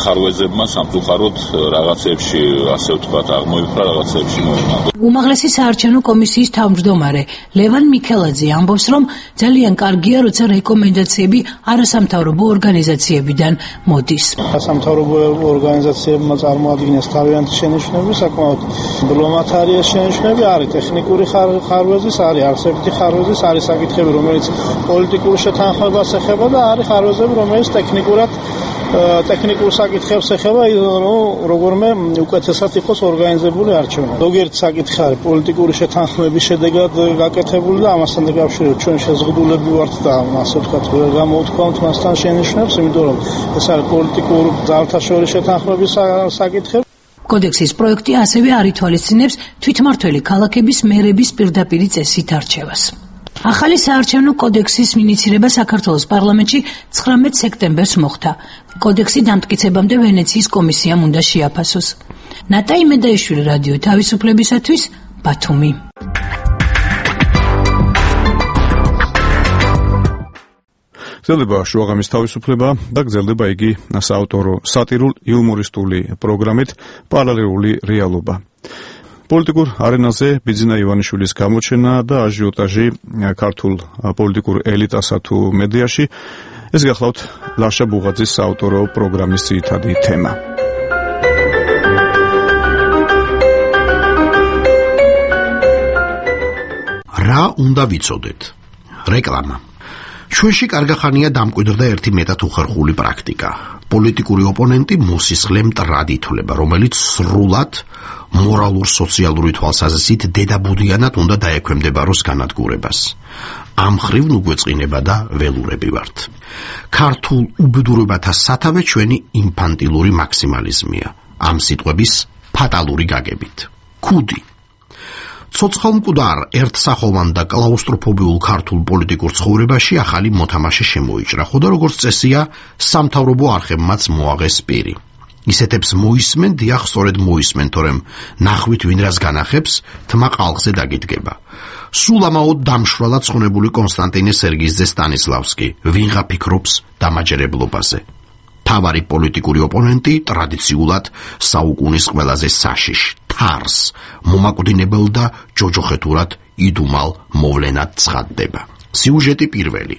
ხარვეზებმა სამწუხაროდ რაღაცებში ასე ვთქვათ აღმოიფრა, რაღაცებში მოიმაგო. უმაღლესი საარჩევნო კომისიის თავმჯდომარე ლევან მიქელაძე ამბობს, რომ ძალიან კარგია, როცა რეკომენდაციები არასამთავრობო ორგანიზაციებიდან მოდის. არასამთავრობო ორგანიზაციებმა წარმოადგინეს თავიანთი შენიშვნები, საკმაოდ მდლომათ არის შენიშვნები, არის ტექნიკური ხარვეზის, არის არსებითი ხარვეზის, არის საკითხები, რომელიც პოლიტიკურ შეთანხმებას ეხება და არის ხარვეზები, რომელიც ტექნიკურ საკითხებს ეხება, როგორმე უკეთესად იყოს ორგანიზებული არჩევანი. ზოგიერთი საკითხი არის პოლიტიკური შეთანხმების შედეგად გაკეთებული და ამასთან დაკავშირებით ჩვენ შეზღუდულები ვართ და ასე ვთქვათ, ვერ გამოვთქვამთ მასთან შენიშვნებს, იმიტომ რომ ეს არის პოლიტიკურ ძალთა შორის შეთანხმების საკითხები. კოდექსის პროექტი ასევე არ ითვალისწინებს თვითმმართველი ქალაქების მერების პირდაპირი წესით არჩევას. ახალი საარჩევნო კოდექსის ინიცირება საქართველოს პარლამენტში 19 სექტემბერს მოხდა. კოდექსი დამტკიცებამდე ვენეციის კომისიამ უნდა შეაფასოს. ნატაი მედაიშვილი, რადიო თავისუფლებისათვის, ბათუმი. გრძელდება შუაღამის თავისუფლება და გრძელდება იგი საავტორო სატირულ-იუმორისტული პროგრამით პარალელური რეალობა. პოლიტიკურ არენაზე ბიძინა ივანიშვილის გამოჩენა და აჟიოტაჟი ქართულ პოლიტიკურ ელიტასა თუ მედიაში, ეს გახლავთ ლაშა ბუღაძის საავტორო პროგრამის ძირითადი თემა. რა უნდა ვიცოდეთ? რეკლამა. ჩვენში კარგახანია დამკვიდრდა ერთი მეტად უხერხული პრაქტიკა. პოლიტიკური ოპონენტი მოსისხლე მტრად ითვლება, რომელიც სრულად მორალურ-სოციალური თვალსაზრისით დედაბუდიანად უნდა დაექვემდებაროს განადგურებას. ამ ხრივ ნუგვეწყინება და ველურები ვართ. ქართულ უბედურებათა სათავე ჩვენი ინფანტილური მაქსიმალიზმია. ამ სიტყვების ფატალური გაგებით. ქუდი. ცოცხალმკვდარ ერთსახოვან და კლაუსტროფობიულ ქართულ პოლიტიკურ ცხოვრებაში ახალი მოთამაშე შემოიჭრა, ხოდა როგორც წესია, სამთავრობო არხებმაც მოაღეს პირი. ისეთებს მოისმენ, დიახ, სწორედ მოისმენ, თორემ ნახვით ვინ რას განახებს, თმა ყალხზე დაგიდგება. სულ ამაოდ დამშვრალად ცხონებული კონსტანტინე სერგიძე სტანისლავსკი, ვინღა ფიქრობს დამაჯერებლობაზე. თავარი პოლიტიკური ოპონენტი ტრადიციულად საუკუნის ყველაზე საშიშ თარს, მომაკვდინებელ და ჯოჯოხეთურად იდუმალ მოვლენად ცხადდება. სიუჟეტი პირველი.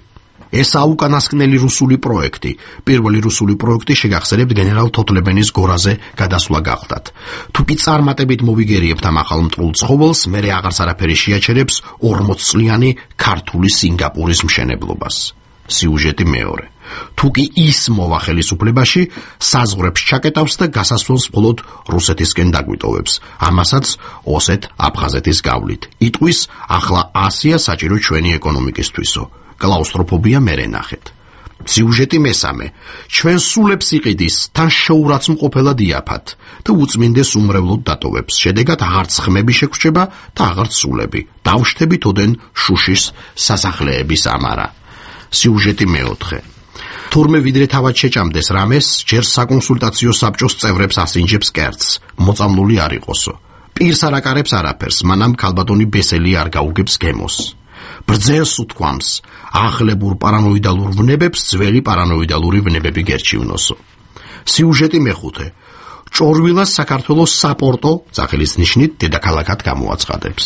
ესაა უკანასკნელი რუსული პროექტი. პირველი რუსული პროექტი შეგახსენებთ გენერალ თოთლებენის გორაზე გადასვლა გახდათ. თუ კი წარმატებით მოვიგერიებთ ამ ახალ მტრულ ცხოველს, მერე აღარც არაფერი შეაჩერებს 40 წლიანი ქართული სინგაპურის მშენებლობას. სიუჟეტი მეორე. თუ კი ის მოვა ხელისუფლებაში, საზღვრებს ჩაკეტავს და გასასვლელს მხოლოდ რუსეთისკენ დაგვიტოვებს. ამასაც ოსეთ-აფხაზეთის გავლით. იტყვის, ახლა ასია საჭირო ჩვენი ეკონომიკისთვისო. კლაუსტროფობია მერე ნახეთ. სიუჟეტი მესამე. ჩვენ სულებს იყიდის, თან შეურაცმყოფელად იაფად და უწმინდეს უმრევლოდ დატოვებს. შედეგად აღარც ხმები შეგრჩება და აღარც სულები. დავშთებით ოდენ შუშის სასახლეების ამარა. სიუჟეტი მეოთხე. თურმე ვიდრე თავად შეჭამდეს რამეს, ჯერ საკონსულტაციო საბჭოს წევრებს ასინჯებს კერძს, მოწამლული არ იყოსო. პირს არ აკარებს არაფერს, მანამ ქალბატონი ბესელი არ გაუგებს გემოს. ბრძენს უთქვამს, ახლებურ პარანოიდალურ ვნებებს ძველი პარანოიდალური ვნებები გერჩივნოსო. სიუჟეტი მეხუთე. ჭორვილას საქართველოს საპორტო, სახელის ნიშნით, დედაქალაქად გამოაცხადებს.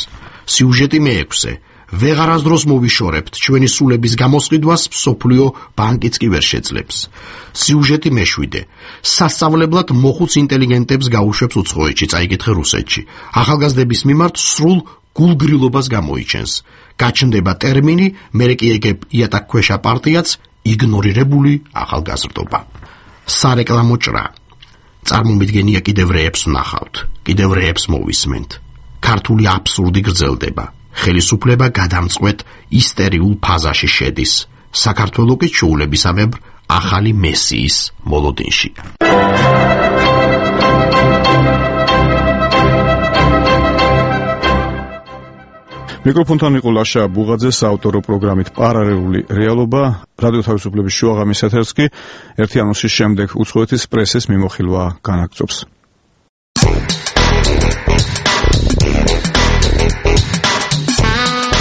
სიუჟეტი მეექვსე. ვეღარასდროს მოვიშორებთ ჩვენი სულების გამოსყიდვას, მსოფლიო ბანკიც კი ვერ შეძლებს. სიუჟეტი მეშვიდე. სასწავლებლად მოხუც ინტელიგენტებს გაუშვებს უცხოეთში, წაიკითხე რუსეთში. ახალგაზრდების მიმართ სრულ გულგრილობას გამოიჩენს. გაჩნდება ტერმინი, მერე კი ეგებ იატაკქვეშა პარტიაც, იგნორირებული ახალგაზრდობა. სარეკლამო ჭრა. წარმომიდგენია კიდევ რეებს ვნახავთ, კიდევ რეებს მოვისმენთ. ქართული აბსურდი გრძელდება. ხელისუფლება გადამწყვეტ ისტერიულ ფაზაში შედის. საქართველო კი ჩვეულებისამებრ ახალი მესიის მოლოდინშია. მიკროფონთან იყო ლაშა ბუღაძე საავტორო პროგრამით პარალელური რეალობა. რადიო თავისუფლების შუაღამის ეთერს კი ერთი ანონსის შემდეგ უცხოეთის პრესის მიმოხილვა განაგრძობს.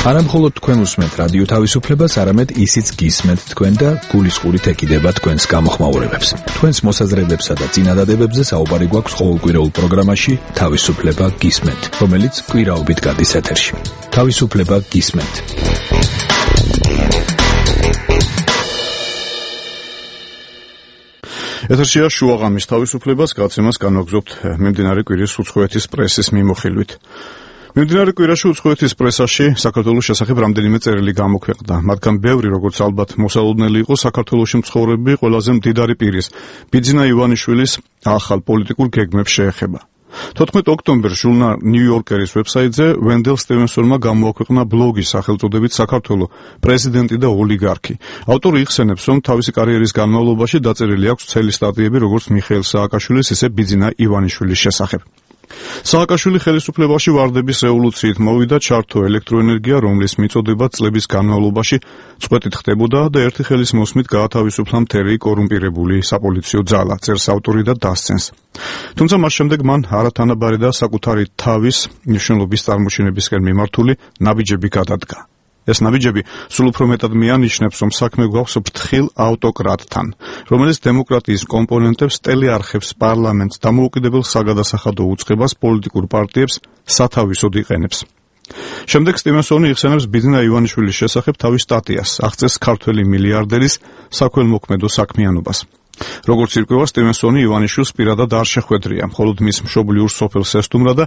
არა მხოლოდ თქვენ უსმენთ რადიო თავისუფლებას, არამედ ისიც გისმენთ თქვენ და გულისყურით ეკიდება თქვენს გამოხმაურებებს. თქვენს მოსაზრებებსა და წინადადებებზე საუბარი გვაქვს ყოველკვირეულ პროგრამაში თავისუფლება გისმენთ, რომელიც კვირაობით გადის ეთერში. თავისუფლება გისმენთ. ეთერშია შუაღამის თავისუფლებას გაცემას განვაგრძობთ მიმდინარე კვირის უცხოეთის პრესის მიმოხილვით. მიმდინარე კვირაში უცხოეთის პრესაში საქართველოს შესახებ რამდენიმე წერილი გამოქვეყნდა. მათგან ბევრი, როგორც ალბათ მოსალოდნელი იყო, საქართველოში მცხოვრები ყველაზე მდიდარი პირის, ბიძინა ივანიშვილის ახალ პოლიტიკურ გეგმებს შეეხება. 14 ოქტომბერს ჟურნალ ნიუ-იორკერის ვებსაიტზე ვენდელ სტივენსონმა გამოაქვეყნა ბლოგი სახელწოდებით „საქართველო, პრეზიდენტი და ოლიგარქი“. ავტორი იხსენებს, რომ თავისი კარიერის განმავლობაში დაწერილი აქვს ცელი სტატიები როგორც მიხეილ სააკაშვილის, ისე ბიძინა ივანიშვილის შესახებ. სააკაშვილი ხელისუფლებაში ვარდების რევოლუციით მოვიდა, ჩართო ელექტროენერგია, რომლის მიწოდება წლების განმავლობაში წყვეტით ხდებოდა და ერთი ხელის მოსმით გაათავისუფლა მთელი კორუმპირებული საპოლიციო ძალა, წერს ავტორი და დასცენს. თუმცა მას შემდეგ მან არათანაბარი და საკუთარი თავის მნიშვნელობის წარმოჩინებისკენ მიმართული ნაბიჯები გადადგა. ეს ნაბიჯები სულ უფრო მეტად მიანიშნებს, რომ საქმე გვაქვს ფრთხილ ავტოკრატთან, რომელიც დემოკრატიის კომპონენტებს, ტელეარხებს, პარლამენტს, დამოუკიდებელ საგადასახადო უწყებას, პოლიტიკურ პარტიებს სათავისოდ იყენებს. შემდეგ სტივენსონი იხსენებს ბიძინა ივანიშვილის შესახებ თავის სტატიას, აღწევს ქართველი მილიარდერის საქველმოქმედო საქმიანობას. როგორც ირკვევა, სტივენსონი ივანიშვილს პირადად არ შეხვედრია, მხოლოდ მის მშობლიურ სოფელს ესტუმრა და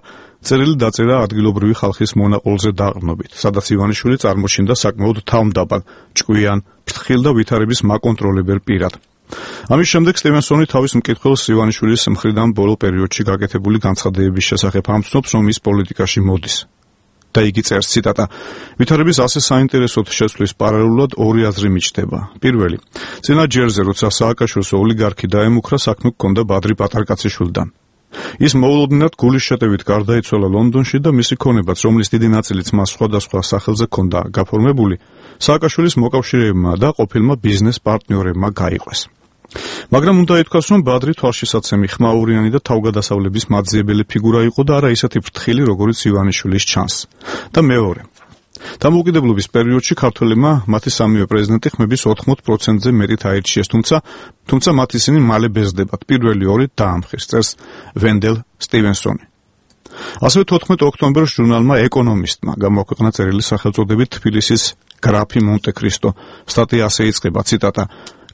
წერილი დაწერა ადგილობრივი ხალხის მონაყოლზე დაყრდნობით, სადაც ივანიშვილი წარმოჩინდა საკმაოდ თავმდაბალ, ჭკვიან, ფრთხილ და ვითარების მაკონტროლებელ პირად. ამის შემდეგ სტივენსონი თავის მკითხველს ივანიშვილის მხრიდან ბოლო პერიოდში გაკეთებული განცხადებების შესახებ ამცნობს, რომ ის პოლიტიკაში მოდის. და იგი წერს, ციტატა: ვითარების ასე საინტერესოდ შეცვლის პარალელურად ორი აზრი მიჩნდება. პირველი, წინა ჯერზე, როცა სააკაშვილს ოლიგარქი დაემუქრა, საქმე ჰქონდა ბადრი პატარკაციშვილთან. ის მოულოდნელად გულის შეტევით გარდაიცვალა ლონდონში და მისი ქონებაც, რომლის დიდი ნაწილიც მას სხვადასხვა სახელზე ჰქონდა გაფორმებული, სააკაშვილის მოკავშირეებმა და ყოფილმა ბიზნეს პარტნიორებმა გაიყვეს. მაგრამ უნდა ითქვას, რომ ბადრი თვალშისაცემი, ხმაურიანი და თავგადასავლების მაძიებელი ფიგურა იყო და არა ისეთი ფრთხილი, როგორიც ივანიშვილის ჩანს. და მეორე, დამოუკიდებლობის პერიოდში ქართველებმა მათი სამივე პრეზიდენტი ხმების 80%-ზე მეტით აირჩიეს, თუმცა მათ ისინი მალე ბეზდებათ. პირველი ორი დაამხეს, წერს ვენდელ სტივენსონი. ასევე 14 ოქტომბერს ჟურნალმა ეკონომისტმა გამოაქვეყნა წერილი სახელწოდებით თბილისის გრაფი მონტე-კრისტო. სტატია ასე იწყება, ციტატა: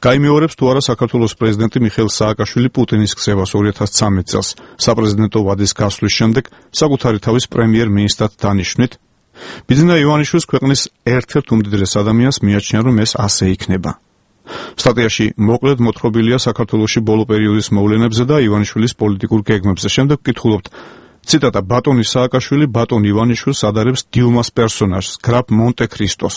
გაიმეორებს თუ არა საქართველოს პრეზიდენტი მიხეილ სააკაშვილი პუტინის ქცევას 2013 წელს საპრეზიდენტო ვადის გასვლის შემდეგ საკუთარი თავის პრემიერ-მინისტრად დანიშნვით. ბიძინა ივანიშვილის ქვეყნის ერთ-ერთ უმდიდრეს ადამიანს მიაჩნია, რომ ეს ასე იქნება. სტატიაში მოკლედ მოთხრობილია საქართველოში ბოლო პერიოდის მოვლენებზე და ივანიშვილის პოლიტიკურ გეგმებზე. შემდეგ ვკითხულობთ, ციტატა: ბატონი სააკაშვილი ბატონ ივანიშვილს ადარებს დიუმას პერსონაჟს, გრაფ მონტე-კრისტოს.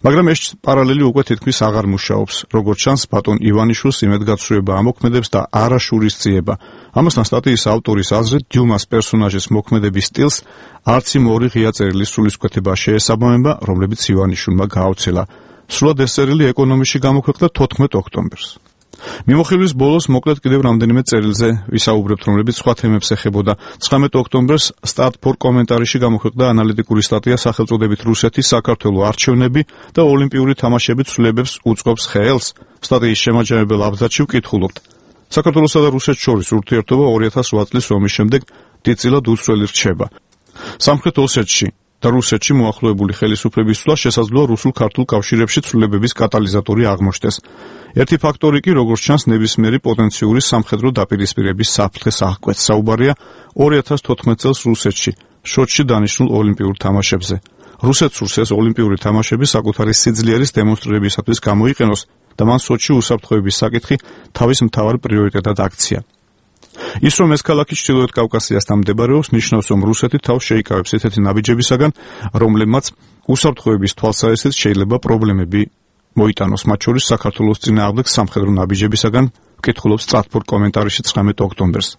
მაგრამ ეს პარალელი უკვე თითქმის აღარ მუშაობს. როგორც ჩანს, ბატონ ივანიშვილს იმედგაცრუება ამოქმედებს და არა შურისძიება. ამასთან სტატიის ავტორის აზრით, დიუმას პერსონაჟის მოქმედების სტილს არც იმ ორი ღია წერილის სულისკვეთება შეესაბამება, რომლებიც ივანიშვილმა გააუცელა. სრულად ეს წერილი ეკონომიკაში გამოქვეყნდა 14 ოქტომბერს. მიმოხილვის ბოლოს მოკლედ კიდევ რამდენიმე წერილზე ვისაუბრებთ, რომლებიც სხვა თემებს ეხებოდა. 19 ოქტომბერს სტარტ-ფორ კომენტარში გამოქვეყნდა ანალიტიკური სტატია სახელწოდებით რუსეთის საქართველოს არჩევნები და ოლიმპიური თამაშების ცვლილებებს უწყობს ხელს. სტატიის შემაჯამებელ აბზაცში ვკითხულობთ: საქართველოსა და რუსეთს შორის ურთიერთობა 2008 წლის ომის შემდეგ დიდწილად უცვლელი რჩება. სამხრეთ ოსეთში და რუსეთში მოახლოებული ხელისუფლების ცვლა შესაძლოა რუსულ-ქართულ კავშირებში ცვლილებების კატალიზატორი აღმოჩნდეს. ერთი ფაქტორი კი, როგორც ჩანს, ნებისმიერი პოტენციური სამხედრო დაპირისპირების საფრთხეს აღკვეთს. საუბარია 2014 წელს რუსეთში, შოტში დანიშნულ ოლიმპიურ თამაშებზე. რუსეთს სურს ეს ოლიმპიური თამაშები საკუთარი სიძლიერის დემონსტრირებისათვის გამოიყენოს და მან სოჩში უსაფრთხოების საკითხი თავის მთავარ პრიორიტეტად აქცია. ის, რომ ეს ქალაქი ჩრდილოეთ კავკასიასთან მდებარეობს, ნიშნავს, რომ რუსეთი თავს შეიკავებს ესეთი ნაბიჯებისაგან, რომლებმაც უსაფრთხოების თვალსაზრისით შეიძლება პრობლემები მოიტანოს, მათ შორის საქართველოს წინააღმდეგ სამხედრო ნაბიჯებისაგან, ვკითხულობს სტარტ-ფორ კომენტარში 19 ოქტომბერს.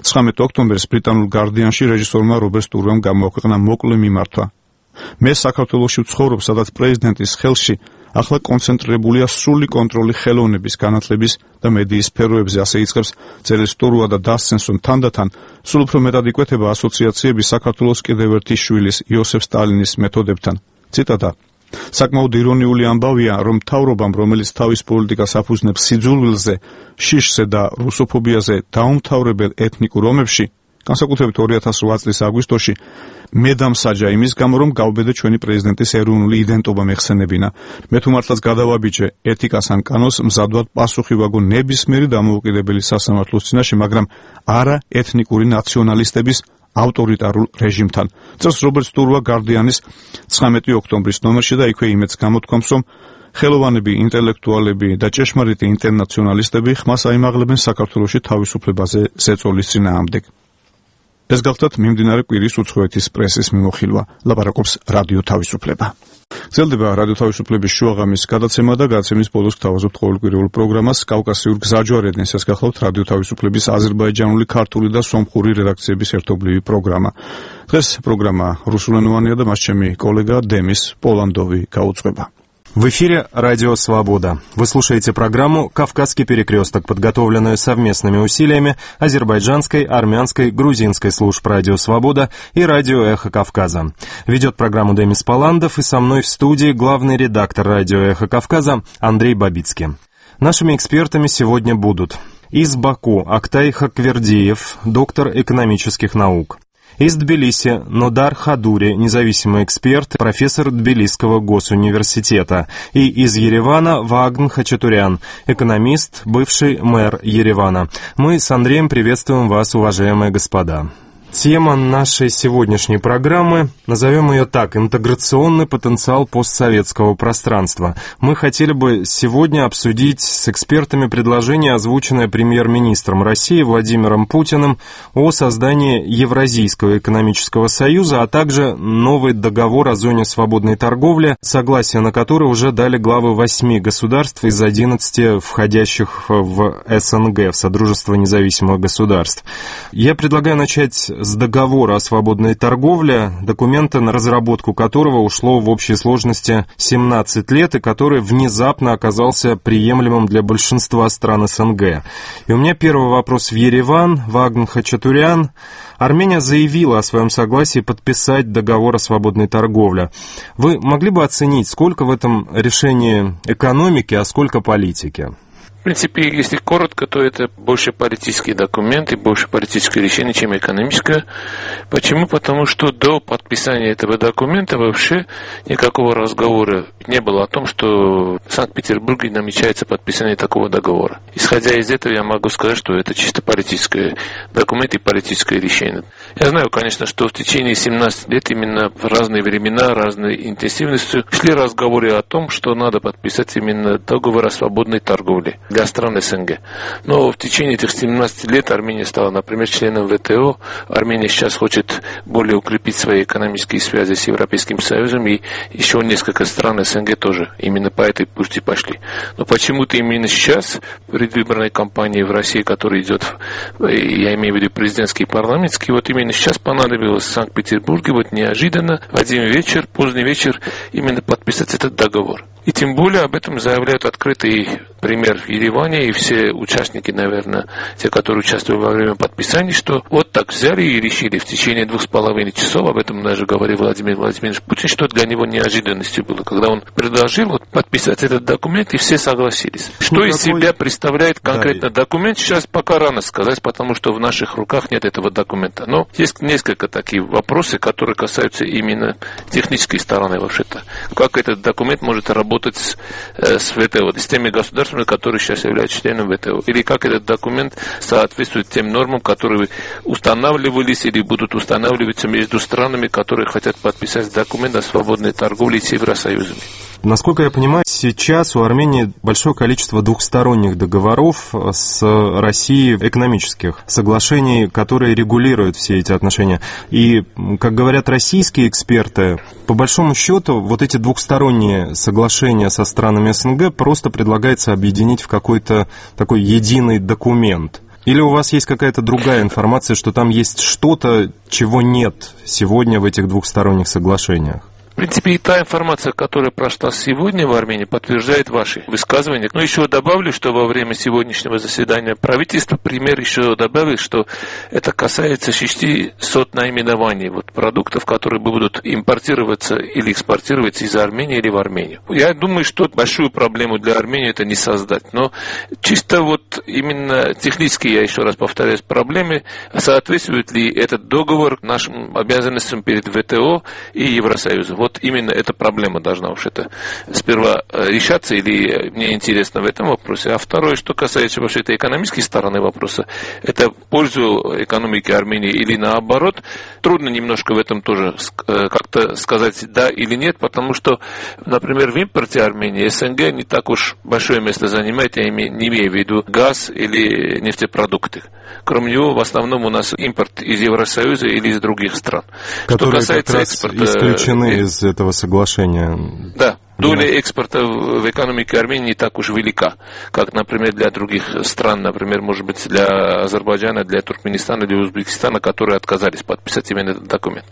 19 ოქტომბერს ბრიტანულ გარდიანში რეჟისორმა რობერტ სტურვემ გამოაქვეყნა მოკლე მიმართვა. მე საქართველოში ვცხოვრობ, სადაც პრეზიდენტის ხელში ახლა კონცენტრირებულია სრული კონტროლი ხელოვნების, განათლების და მედიის სფეროებზე, ასე იწყებს წერილს სტურვა და დასცენს, რომ თანდათან სულ უფრო მეტად იკვეთება ასოციაციები საქართველოს კიდევ ერთი შვილის იოსებ სტალინის მეთოდებთან. ციტატა: საკმაოდ ირონიული ამბავია, რომ მთავრობამ, რომელიც თავის პოლიტიკას აფუძნებს სიძულვილზე, შიშზე და რუსოფობიაზე დაუმთავრებელ ეთნიკურ ომებში, განსაკუთრებით 2008 წლის აგვისტოში, მე დამსაჯა იმის გამო, რომ გავბედე ჩვენი პრეზიდენტის ეროვნული იდენტობა მეხსენებინა. მე თუ მართლაც გადავაბიჯე ეთიკას ან კანონს, მზადვად პასუხი ვაგო ნებისმიერი დამოუკიდებელი სასამართლოს წინაშე, მაგრამ არა ეთნიკური ნაციონალისტების ავტორიტარულ რეჟიმთან. წერს რობერტ სტურვა გარდიანის 19 ოქტომბრის ნომერში და იქვე იმედს გამოთქვამს, რომ ხელოვანები, ინტელექტუალები და ჭეშმარიტი ინტერნაციონალისტები ხმას აიმაღლებენ საქართველოში თავისუფლებაზე ზეწოლის წინააღმდეგ. ეს გახლდათ მიმდინარე კვირის უცხოეთის პრესის მიმოხილვა. ლაპარაკობს რადიო თავისუფლება. გრძელდება რადიო თავისუფლების შუაღამის გადაცემა და გადაცემის ბოლოს გთავაზობთ ყოველკვირეულ პროგრამას კავკასიურ გზაჯვარედინს. ეს გახლავთ რადიო თავისუფლების აზერბაიჯანული, ქართული და სომხური რედაქციების ერთობლივი პროგრამა. დღეს პროგრამა რუსულენოვანია და მას ჩემი კოლეგა დემის პოლანდოვი გაუძღვება. В эфире «Радио Свобода». Вы слушаете программу «Кавказский перекресток», подготовленную совместными усилиями азербайджанской, армянской, грузинской служб «Радио Свобода» и «Радио Эхо Кавказа». Ведет программу Демис Паландов, и со мной в студии главный редактор «Радио Эхо Кавказа» Андрей Бабицкий. Нашими экспертами сегодня будут из Баку Актай Хаквердиев, доктор экономических наук. Из Тбилиси Нодар Хадури, независимый эксперт, профессор Тбилисского госуниверситета. И из Еревана Вагн Хачатурян, экономист, бывший мэр Еревана. Мы с Андреем приветствуем вас, уважаемые господа. Тема нашей сегодняшней программы, назовем ее так, интеграционный потенциал постсоветского пространства. Мы хотели бы сегодня обсудить с экспертами предложение, озвученное премьер-министром России Владимиром Путиным о создании Евразийского экономического союза, а также новый договор о зоне свободной торговли, согласие на который уже дали главы 8 государств из 11 входящих в СНГ, в Содружество независимых государств. Я предлагаю начать с договора о свободной торговле, документа, на разработку которого ушло в общей сложности 17 лет и который внезапно оказался приемлемым для большинства стран СНГ. И у меня первый вопрос в Ереван. Вагн Хачатурян. Армения заявила о своем согласии подписать договор о свободной торговле. Вы могли бы оценить, сколько в этом решении экономики, а сколько политики? В принципе, если коротко, то это больше политический документ и больше политическое решение, чем экономическое. Почему? Потому что до подписания этого документа вообще никакого разговора не было о том, что в Санкт-Петербурге намечается подписание такого договора. Исходя из этого, я могу сказать, что это чисто политический документ и политическое решение. Я знаю, конечно, что в течение 17 лет именно в разные времена, разной интенсивностью шли разговоры о том, что надо подписать именно договор о свободной торговле для стран СНГ. Но в течение этих 17 лет Армения стала, например, членом ВТО. Армения сейчас хочет более укрепить свои экономические связи с Европейским Союзом, и еще несколько стран СНГ тоже именно по этой пути пошли. Но почему-то именно сейчас, в предвыборной кампании в России, которая идет, я имею в виду президентский и парламентский, вот именно сейчас понадобилось в Санкт-Петербурге вот неожиданно в один вечер, поздний вечер, именно подписать этот договор. И тем более об этом заявляют открытый пример в Ереване, и все участники, наверное, те, которые участвовали во время подписания, что вот так взяли и решили в течение 2,5 часов, об этом даже говорил Владимир Владимирович Путин, что для него неожиданностью было, когда он предложил вот подписать этот документ, и все согласились. Что из себя представляет конкретно документ, сейчас пока рано сказать, потому что в наших руках нет этого документа. Но есть несколько таких вопросов, которые касаются именно технической стороны вообще-то. Как этот документ может работать с ВТО, с теми государствами, которые сейчас являются членом ВТО, или как этот документ соответствует тем нормам, которые устанавливались или будут устанавливаться между странами, которые хотят подписать документ о свободной торговле с Евросоюзом. Насколько я понимаю, сейчас у Армении большое количество двухсторонних договоров с Россией, экономических соглашений, которые регулируют все эти отношения. И, как говорят российские эксперты, по большому счету, вот эти двухсторонние соглашения со странами СНГ просто предлагается объединить в какой-то такой единый документ. Или у вас есть какая-то другая информация, что там есть что-то, чего нет сегодня в этих двухсторонних соглашениях? В принципе, и та информация, которая прошла сегодня в Армении, подтверждает ваши высказывания. Но еще добавлю, что во время сегодняшнего заседания правительства премьер еще добавил, что это касается 600 наименований вот, продуктов, которые будут импортироваться или экспортироваться из Армении или в Армению. Я думаю, что большую проблему для Армении это не создать. Но чисто вот именно технически, я еще раз повторяюсь, проблемы, соответствует ли этот договор нашим обязанностям перед ВТО и Евросоюзом. Вот именно эта проблема должна вообще-то сперва решаться, или мне интересно в этом вопросе. А второе, что касается вообще-то экономической стороны вопроса, это в пользу экономики Армении или наоборот, трудно немножко в этом тоже как-то сказать да или нет, потому что, например, в импорте Армении СНГ не так уж большое место занимает, я не имею в виду газ или нефтепродукты. Кроме него, в основном у нас импорт из Евросоюза или из других стран. Которые что касается как раз экспорта, исключены из этого соглашения. Да. Доля экспорта в экономике Армении не так уж велика, как, например, для других стран, например, может быть, для Азербайджана, для Туркменистана, для Узбекистана, которые отказались подписать именно этот документ.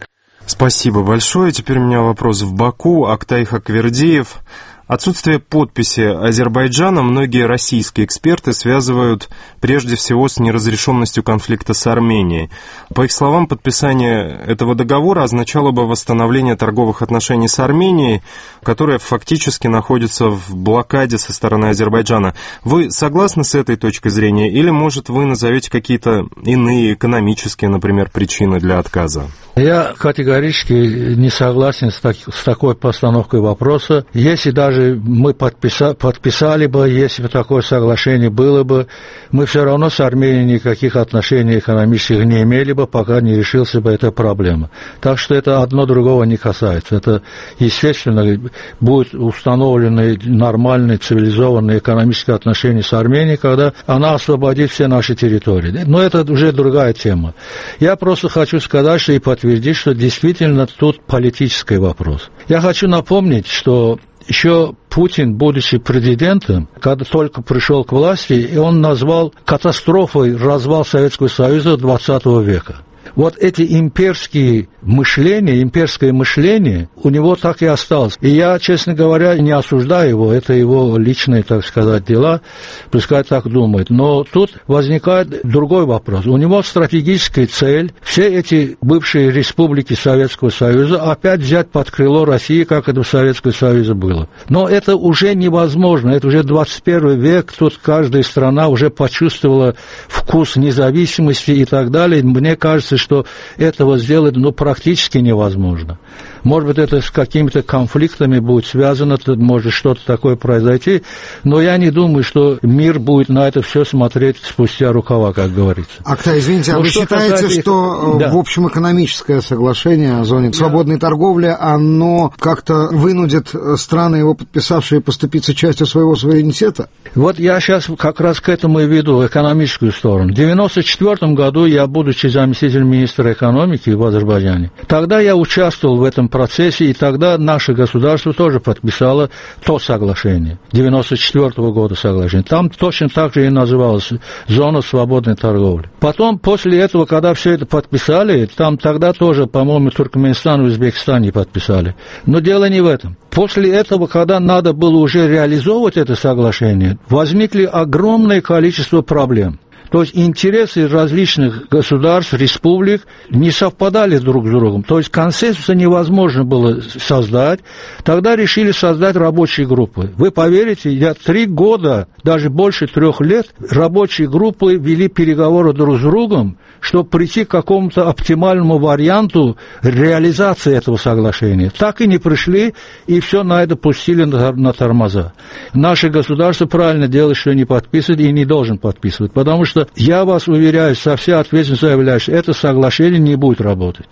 Спасибо большое. Теперь у меня вопрос в Баку. Актай Хаквердиев. Отсутствие подписи Азербайджана многие российские эксперты связывают прежде всего с неразрешенностью конфликта с Арменией. По их словам, подписание этого договора означало бы восстановление торговых отношений с Арменией, которая фактически находится в блокаде со стороны Азербайджана. Вы согласны с этой точкой зрения или, может, вы назовете какие-то иные экономические, например, причины для отказа? Я категорически не согласен с такой постановкой вопроса. Если даже мы подписали бы, если бы такое соглашение было бы, мы все равно с Арменией никаких отношений экономических не имели бы, пока не решился бы эта проблема. Так что это одно другого не касается. Это, естественно, будут установлены нормальные, цивилизованные экономические отношения с Арменией, когда она освободит все наши территории. Но это уже другая тема. Я просто хочу сказать, что и подтвердить, что действительно тут политический вопрос. Я хочу напомнить, что еще Путин, будучи президентом, когда только пришел к власти, и он назвал катастрофой развал Советского Союза XX века. Вот эти имперское мышление у него так и осталось. И я, честно говоря, не осуждаю его, это его личные, так сказать, дела, пускай так думает. Но тут возникает другой вопрос. У него стратегическая цель все эти бывшие республики Советского Союза опять взять под крыло России, как это в Советском Союзе было. Но это уже невозможно, это уже 21 век, тут каждая страна уже почувствовала вкус независимости и так далее. Мне кажется, что этого сделать практически невозможно. Может быть, это с какими-то конфликтами будет связано, может что-то такое произойти, но я не думаю, что мир будет на это все смотреть спустя рукава, как говорится. Актай, извините, а вы считаете, что в общем экономическое соглашение о зоне свободной торговли, оно как-то вынудит страны, его подписавшие, поступиться частью своего суверенитета? Вот я сейчас как раз к этому и веду, экономическую сторону. В 1994 году я, будучи заместителем министра экономики в Азербайджане, тогда я участвовал в этом процессе, и тогда наше государство тоже подписало то соглашение, 1994 года соглашение. Там точно так же и называлось «Зона свободной торговли». Потом, после этого, когда все это подписали, там тогда тоже, по-моему, Туркменистан и Узбекистан не подписали. Но дело не в этом. После этого, когда надо было уже реализовывать это соглашение, возникли огромное количество проблем. То есть интересы различных государств, республик не совпадали друг с другом. То есть консенсуса невозможно было создать. Тогда решили создать рабочие группы. Вы поверите, я 3 года, даже больше 3 лет, рабочие группы вели переговоры друг с другом, чтобы прийти к какому-то оптимальному варианту реализации этого соглашения. Так и не пришли, и все на это пустили на тормоза. Наше государство правильно делает, что не подписывает и не должен подписывать, потому что я вас уверяю, со всей ответственностью заявляю, что это соглашение не будет работать.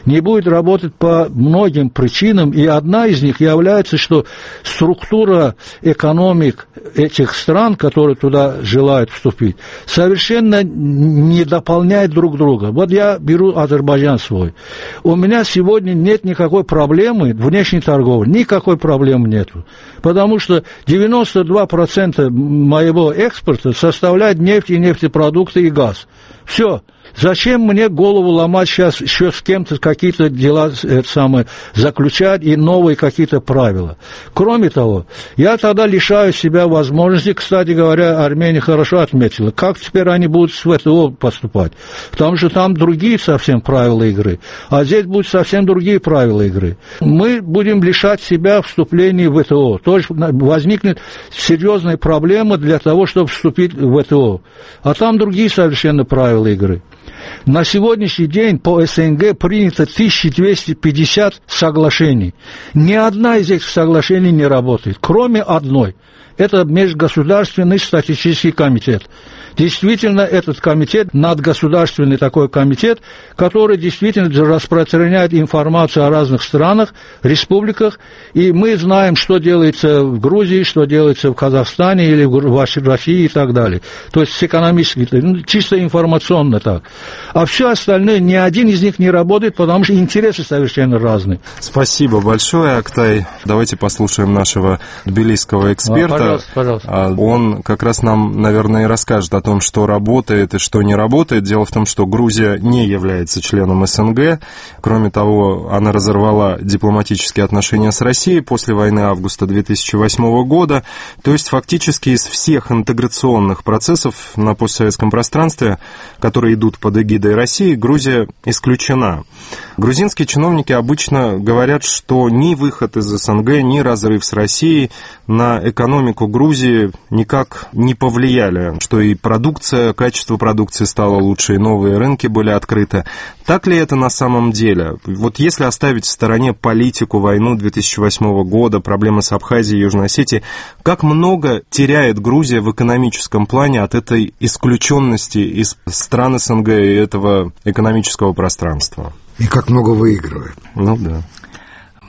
Не будет работать по многим причинам, и одна из них является, что структура экономик этих стран, которые туда желают вступить, совершенно не дополняет друг друга. Вот я беру Азербайджан свой. У меня сегодня нет никакой проблемы внешней торговли, никакой проблемы нету, потому что 92% моего экспорта составляет нефть и нефтепродукты и газ. Все. Зачем мне голову ломать сейчас еще с кем-то какие-то дела заключать и новые какие-то правила? Кроме того, я тогда лишаю себя возможности, кстати говоря, Армения хорошо отметила, как теперь они будут с ВТО поступать, потому что там другие совсем правила игры, а здесь будут совсем другие правила игры. Мы будем лишать себя вступления в ВТО, то есть возникнет серьезная проблема для того, чтобы вступить в ВТО, а там другие совершенно правила игры. На сегодняшний день по СНГ принято 1250 соглашений. Ни одна из этих соглашений не работает, кроме одной. Это Межгосударственный статистический комитет. Действительно, этот комитет, надгосударственный такой комитет, который действительно распространяет информацию о разных странах, республиках, и мы знаем, что делается в Грузии, что делается в Казахстане или в России и так далее. То есть с экономической, чисто информационно так. А все остальное, ни один из них не работает, потому что интересы совершенно разные. Спасибо большое, Актай. Давайте послушаем нашего тбилисского эксперта. Пожалуйста. Он как раз нам, наверное, и расскажет о том, что работает и что не работает. Дело в том, что Грузия не является членом СНГ. Кроме того, она разорвала дипломатические отношения с Россией после войны августа 2008 года. То есть фактически из всех интеграционных процессов на постсоветском пространстве, которые идут под эгидой России, Грузия исключена. Грузинские чиновники обычно говорят, что ни выход из СНГ, ни разрыв с Россией на экономику Грузии никак не повлияли, что и продукция, качество продукции стало лучше, и новые рынки были открыты. Так ли это на самом деле? Вот если оставить в стороне политику, войну 2008 года, проблемы с Абхазией и Южной Осетией, как много теряет Грузия в экономическом плане от этой исключенности из стран СНГ и этого экономического пространства? И как много выигрывает. Ну да.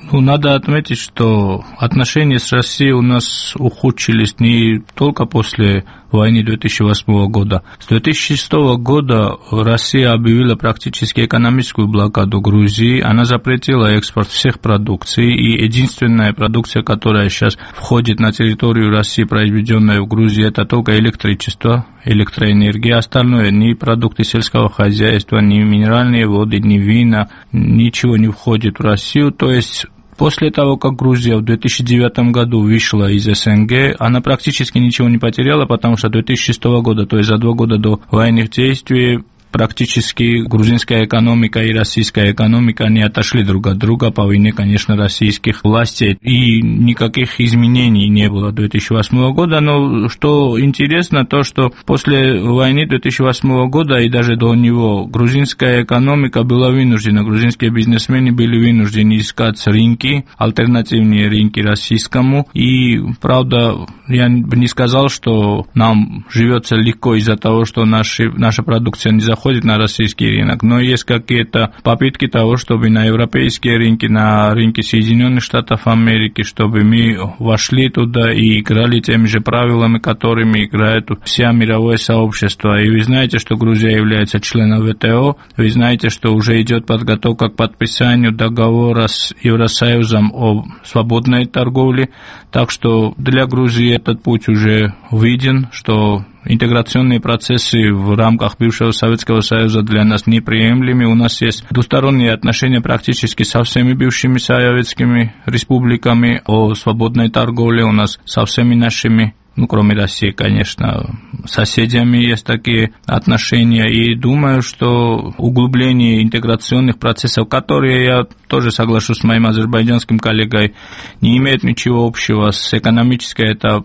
Надо отметить, что отношения с Россией у нас ухудшились не только после войны 2008 года. С 2006 года Россия объявила практически экономическую блокаду Грузии. Она запретила экспорт всех продукций. И единственная продукция, которая сейчас входит на территорию России, произведенная в Грузии, это только электричество, электроэнергия. Остальное ни продукты сельского хозяйства, ни минеральные воды, ни вина, ничего не входит в Россию. То есть после того, как Грузия в 2009 году вышла из СНГ, она практически ничего не потеряла, потому что 2006 года, то есть за 2 года до военных действий, практически грузинская экономика и российская экономика, они отошли друг от друга по вине, конечно, российских властей. И никаких изменений не было 2008 года. Но что интересно, то, что после войны 2008 года и даже до него грузинская экономика была вынуждена, грузинские бизнесмены были вынуждены искать рынки, альтернативные рынки российскому. И, правда, я бы не сказал, что нам живется легко из-за того, что наша продукция не заходит на российский рынок, но есть какие-то попытки того, чтобы на европейские рынки, на рынки Соединенных Штатов Америки, чтобы мы вошли туда и играли теми же правилами, которыми играет все мировое сообщество. И вы знаете, что Грузия является членом ВТО, вы знаете, что уже идет подготовка к подписанию договора с Евросоюзом о свободной торговле, так что для Грузии этот путь уже виден, что интеграционные процессы в рамках бывшего Советского Союза для нас неприемлемы. У нас есть двусторонние отношения практически со всеми бывшими советскими республиками о свободной торговле. У нас со всеми нашими, кроме России, конечно, соседями есть такие отношения. И думаю, что углубление интеграционных процессов, которые, я тоже соглашусь с моим азербайджанским коллегой, не имеют ничего общего с экономической, это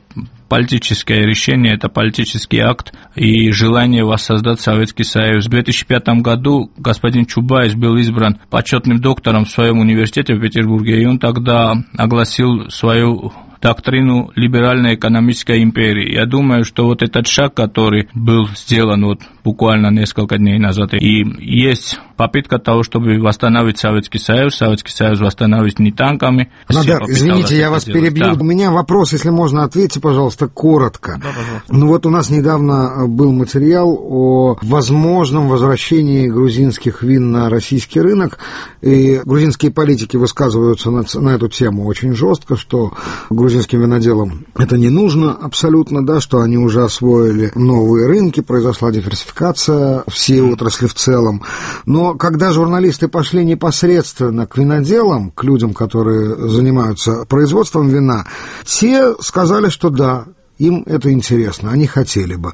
политическое решение, это политический акт и желание воссоздать Советский Союз. В 2005 году господин Чубайс был избран почетным доктором в своем университете в Петербурге, и он тогда огласил свою доктрину либеральной экономической империи. Я думаю, что вот этот шаг, который был сделан буквально несколько дней назад, и есть попытка того, чтобы восстановить Советский Союз восстановить не танками. Надар, извините, я вас перебью. Да. У меня вопрос, если можно, ответьте, пожалуйста, коротко. Да, пожалуйста. У нас недавно был материал о возможном возвращении грузинских вин на российский рынок, и грузинские политики высказываются на эту тему очень жестко, что грузинским виноделам это не нужно абсолютно, да, что они уже освоили новые рынки, произошла диверсификация всей отрасли в целом. Но когда журналисты пошли непосредственно к виноделам, к людям, которые занимаются производством вина, те сказали, что да, им это интересно, они хотели бы.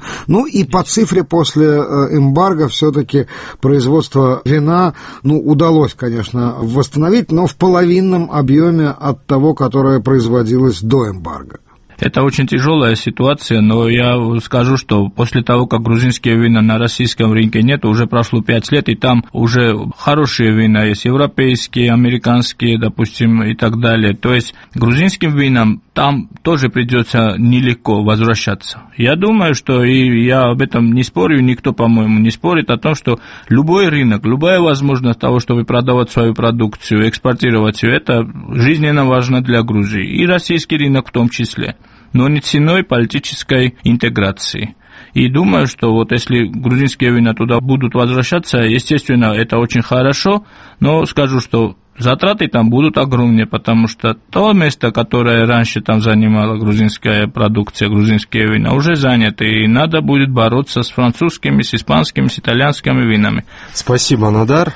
И по цифре после эмбарго все-таки производство вина, удалось, конечно, восстановить, но в половинном объеме от того, которое производилось до эмбарго. Это очень тяжелая ситуация, но я скажу, что после того, как грузинские вина на российском рынке нет, уже прошло 5 лет, и там уже хорошие вина есть, европейские, американские, допустим, и так далее. То есть грузинским винам там тоже придется нелегко возвращаться. Я думаю, что, и я об этом не спорю, никто, по-моему, не спорит о том, что любой рынок, любая возможность того, чтобы продавать свою продукцию, экспортировать ее, это жизненно важно для Грузии, и российский рынок в том числе, но не ценой политической интеграции. И думаю, что если грузинские вина туда будут возвращаться, естественно, это очень хорошо, но скажу, что затраты там будут огромные, потому что то место, которое раньше там занимала грузинская продукция, грузинские вина, уже занято, и надо будет бороться с французскими, с испанскими, с итальянскими винами. Спасибо, Нодар.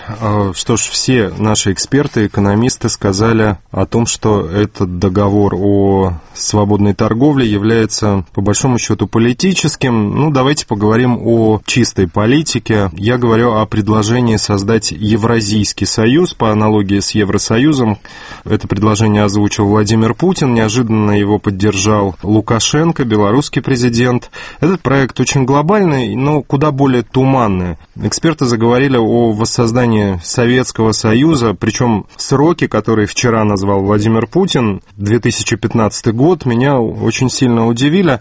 Что ж, все наши эксперты, экономисты сказали о том, что этот договор о свободной торговле является, по большому счету, политическим. Давайте поговорим о чистой политике. Я говорю о предложении создать Евразийский союз по аналогии с Евросоюзом. Это предложение озвучил Владимир Путин, неожиданно его поддержал Лукашенко, белорусский президент. Этот проект очень глобальный, но куда более туманный. Эксперты заговорили о воссоздании Советского Союза, причем сроки, которые вчера назвал Владимир Путин, 2015 год, меня очень сильно удивили.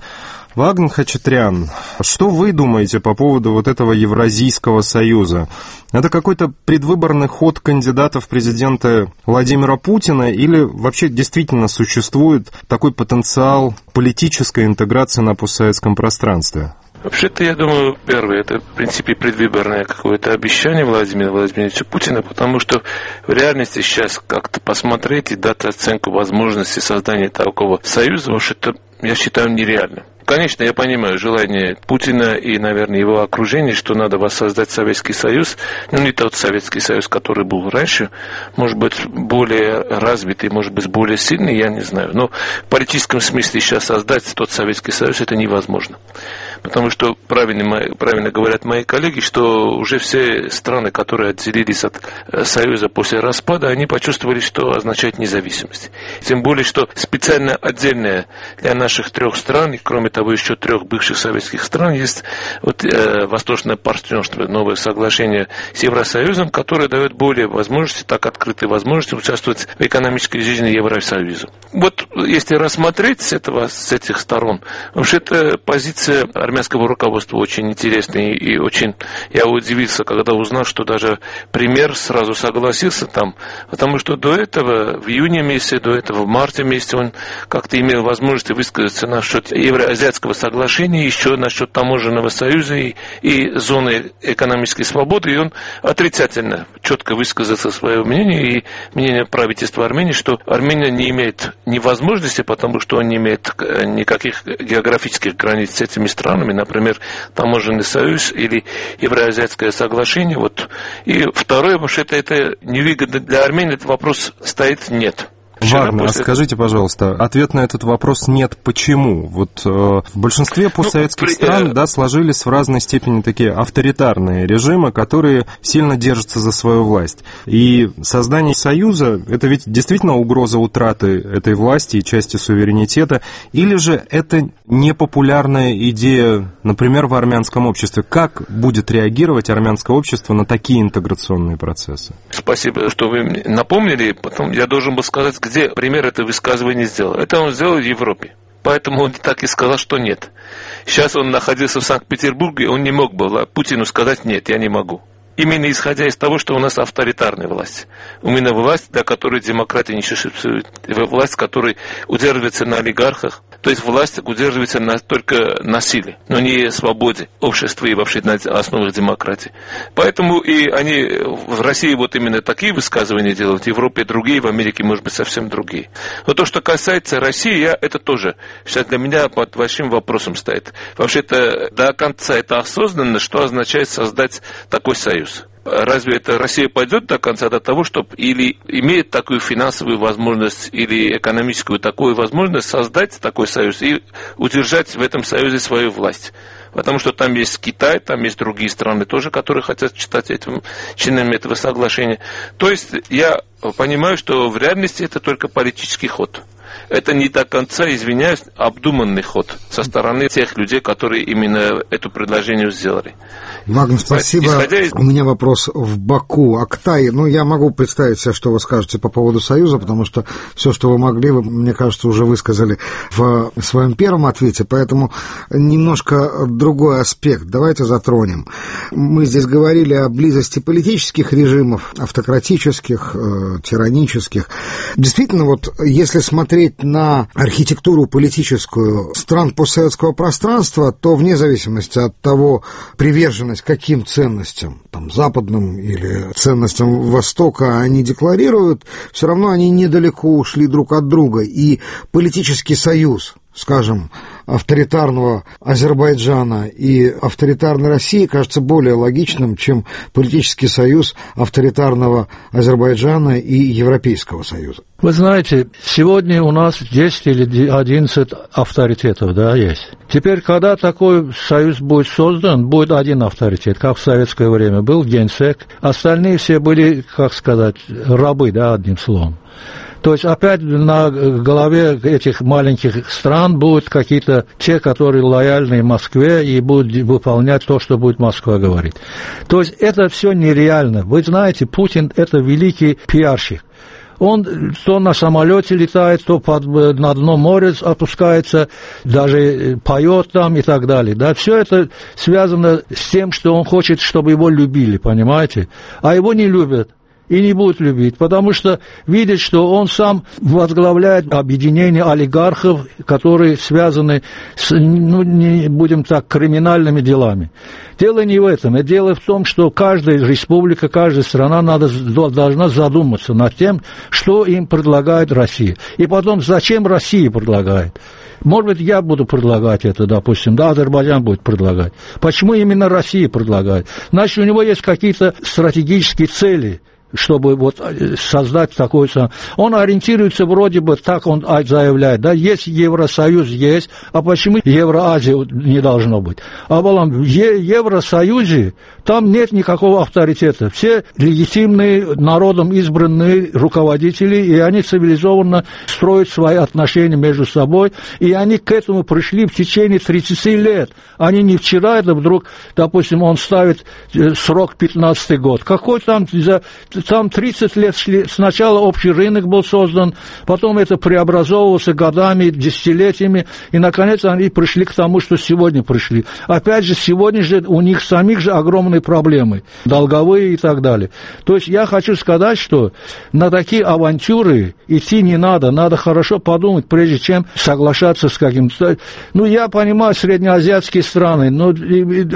Вагн Хачатрян, что вы думаете по поводу вот этого Евразийского союза? Это какой-то предвыборный ход кандидата в президенты Владимира Путина или вообще действительно существует такой потенциал политической интеграции на постсоветском пространстве? Вообще-то, я думаю, первое, это, в принципе, предвыборное какое-то обещание Владимира Владимировича Путина, потому что в реальности сейчас как-то посмотреть и дать оценку возможности создания такого союза, вообще-то, я считаю, нереально. Конечно, я понимаю желание Путина и, наверное, его окружения, что надо воссоздать Советский Союз, не тот Советский Союз, который был раньше, может быть, более развитый, может быть, более сильный, я не знаю. Но в политическом смысле сейчас создать тот Советский Союз это невозможно. Потому что правильно говорят мои коллеги, что уже все страны, которые отделились от Союза после распада, они почувствовали, что означает независимость. Тем более, что специально отдельная для наших 3 стран, кроме того, еще 3 бывших советских стран, есть Восточное партнерство, новое соглашение с Евросоюзом, которое дает более возможности, так открытые возможности участвовать в экономической жизни Евросоюза. Вот если рассмотреть с этих сторон, вообще-то позиция армянского руководства очень интересная и очень... Я удивился, когда узнал, что даже премьер сразу согласился там, потому что до этого, в июне месяце, до этого в марте месяце он как-то имел возможность высказаться насчет Евроазиатского соглашения, еще насчет таможенного союза и зоны экономической свободы, и он отрицательно, четко высказался свое мнение, и мнение правительства Армении, что Армения не имеет ни возможности, потому что он не имеет никаких географических границ с этими странами, например, таможенный союз или Евроазиатское соглашение. Вот. И второе, вообще-то это невыгодно для Армении, этот вопрос стоит нет. Вагнер, скажите, пожалуйста, ответ на этот вопрос нет. Почему? Вот в большинстве постсоветских стран сложились в разной степени такие авторитарные режимы, которые сильно держатся за свою власть. И создание союза – это ведь действительно угроза утраты этой власти и части суверенитета, или же это непопулярная идея, например, в армянском обществе? Как будет реагировать армянское общество на такие интеграционные процессы? Спасибо, что вы напомнили. Потом я должен был сказать, где пример это высказывание сделал. Это он сделал в Европе. Поэтому он так и сказал, что нет. Сейчас он находился в Санкт-Петербурге, он не мог бы Путину сказать нет, я не могу. Именно исходя из того, что у нас авторитарная власть. Именно власть, для которой демократия не существует. Власть, которая удерживается на олигархах. То есть власть удерживается только на силе, но не свободе общества и вообще на основах демократии. Поэтому и они в России вот именно такие высказывания делают, в Европе другие, в Америке, может быть, совсем другие. Но то, что касается России, это тоже сейчас для меня под большим вопросом стоит. Вообще-то до конца это осознанно, что означает создать такой союз. Разве это Россия пойдет до конца до того, чтобы или имеет такую финансовую возможность, или экономическую такую возможность создать такой союз и удержать в этом союзе свою власть? Потому что там есть Китай, там есть другие страны тоже, которые хотят стать членами этого соглашения. То есть я понимаю, что в реальности это только политический ход. Это не до конца, извиняюсь, обдуманный ход со стороны тех людей, которые именно это предложение сделали. Вагнер, спасибо. У меня вопрос в Баку. Актай, я могу представить себе, что вы скажете по поводу Союза, потому что все, что вы могли, вы, мне кажется, уже высказали в своем первом ответе, поэтому немножко другой аспект давайте затронем. Мы здесь говорили о близости политических режимов, автократических, тиранических. Действительно, вот если смотреть на архитектуру политическую стран постсоветского пространства, то вне зависимости от того, привержены приверженность каким ценностям, там, западным или ценностям Востока они декларируют, все равно они недалеко ушли друг от друга. И политический союз, скажем, авторитарного Азербайджана и авторитарной России кажется более логичным, чем политический союз авторитарного Азербайджана и Европейского Союза. Вы знаете, сегодня у нас 10 или 11 авторитетов, да, есть. Теперь, когда такой союз будет создан, будет один авторитет, как в советское время был Генсек. Остальные все были, как сказать, рабы, да, одним словом. То есть опять на голове этих маленьких стран будут какие-то те, которые лояльны Москве и будут выполнять то, что будет Москва говорить. То есть это все нереально. Вы знаете, Путин – это великий пиарщик. Он то на самолете летает, то на дно моря опускается, даже поет там и так далее. Да? Все это связано с тем, что он хочет, чтобы его любили, понимаете? А его не любят. И не будут любить, потому что видят, что он сам возглавляет объединение олигархов, которые связаны с, ну, не будем так, криминальными делами. Дело не в этом, а дело в том, что каждая республика, каждая страна должна задуматься над тем, что им предлагает Россия. И потом, зачем Россия предлагает. Может быть, я буду предлагать это, допустим, да, Азербайджан будет предлагать. Почему именно Россия предлагает? Значит, у него есть какие-то стратегические цели, чтобы вот создать такой... Он ориентируется вроде бы, так он заявляет, да, есть Евросоюз, есть, а почему Евроазия не должно быть? А в Евросоюзе там нет никакого авторитета. Все легитимные, народом избранные руководители, и они цивилизованно строят свои отношения между собой, и они к этому пришли в течение 30 лет. Они не вчера, это вдруг, допустим, он ставит срок 15-й год. Какой там... Там 30 лет шли, сначала общий рынок был создан, потом это преобразовывался годами, десятилетиями, и, наконец, они пришли к тому, что сегодня пришли. Опять же, сегодня же у них самих же огромные проблемы, долговые и так далее. То есть я хочу сказать, что на такие авантюры идти не надо, надо хорошо подумать, прежде чем соглашаться с каким-то... Ну, я понимаю, среднеазиатские страны, но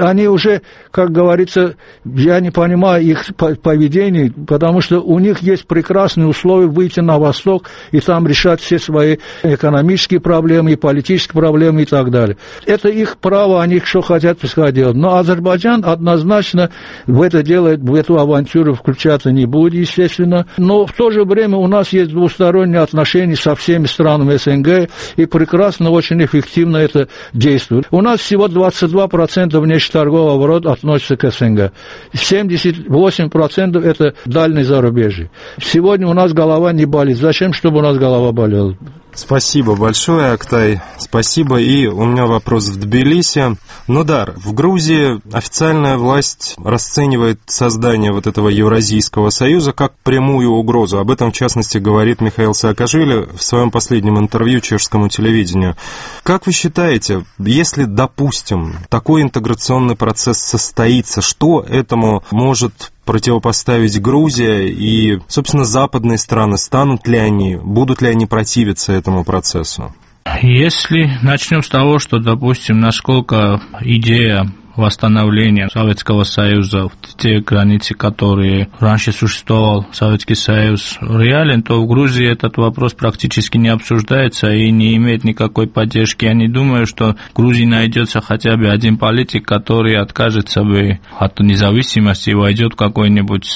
они уже, как говорится, я не понимаю их поведение, потому что у них есть прекрасные условия выйти на Восток и там решать все свои экономические проблемы, и политические проблемы и так далее. Это их право, они что хотят, пускай делают. Но Азербайджан однозначно в это дело, в эту авантюру включаться не будет, естественно. Но в то же время у нас есть двусторонние отношения со всеми странами СНГ, и прекрасно, очень эффективно это действует. У нас всего 22% внешнеторгового оборота относится к СНГ. 78% это дальнее зарубежье. Сегодня у нас голова не болит. Зачем, чтобы у нас голова болела? Спасибо большое, Актай. Спасибо. И у меня вопрос в Тбилиси. Нодар, в Грузии официальная власть расценивает создание вот этого Евразийского союза как прямую угрозу. Об этом, в частности, говорит Михаил Саакашвили в своем последнем интервью чешскому телевидению. Как вы считаете, если, допустим, такой интеграционный процесс состоится, что этому может противопоставить Грузия и, собственно, западные страны, станут ли они, будут ли они противиться этому процессу? Если начнем с того, что, допустим, насколько идея восстановления Советского Союза, те границы, которые раньше существовал Советский Союз, реален, то в Грузии этот вопрос практически не обсуждается и не имеет никакой поддержки. Я не думаю, что в Грузии найдется хотя бы один политик, который откажется бы от независимости и войдет в какое-нибудь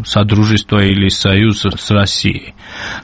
содружество или союз с Россией.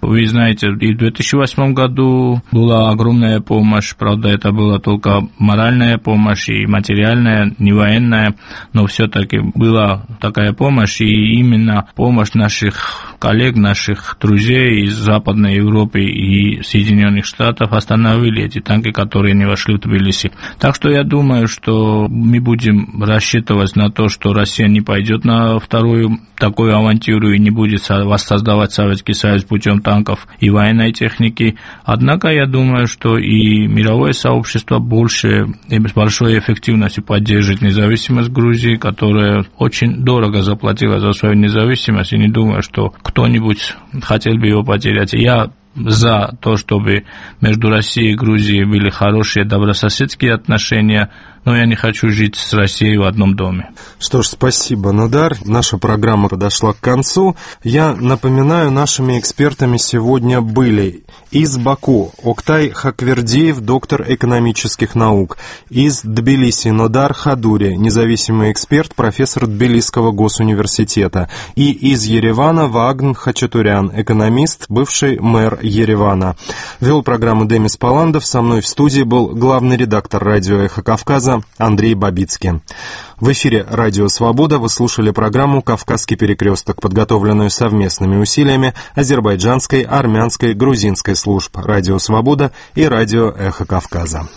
Вы знаете, и в 2008 году была огромная помощь, правда, это была только моральная помощь и материальная, не военная, но все-таки была такая помощь, и именно помощь наших коллег, наших друзей из Западной Европы и Соединенных Штатов остановили эти танки, которые не вошли в Тбилиси. Так что я думаю, что мы будем рассчитывать на то, что Россия не пойдет на вторую такую авантюру и не будет воссоздавать Советский Союз путем танков и военной техники. Однако я думаю, что и мировое сообщество больше и с большой эффективностью поддержит независимость Грузии, которая очень дорого заплатила за свою независимость, и не думаю, что кто-нибудь хотел бы его потерять. Я за то, чтобы между Россией и Грузией были хорошие добрососедские отношения, но я не хочу жить с Россией в одном доме. Что ж, спасибо, Нодар. Наша программа подошла к концу. Я напоминаю, нашими экспертами сегодня были из Баку Октай Хаквердиев, доктор экономических наук, из Тбилиси Нодар Хадури, независимый эксперт, профессор Тбилисского госуниверситета, и из Еревана Вагн Хачатурян, экономист, бывший мэр Еревана. Вел программу Демис Паландов, со мной в студии был главный редактор радио «Эхо Кавказа» Андрей Бабицкий. В эфире «Радио Свобода» вы слушали программу «Кавказский перекресток», подготовленную совместными усилиями азербайджанской, армянской, грузинской служб «Радио Свобода» и радио «Эхо Кавказа».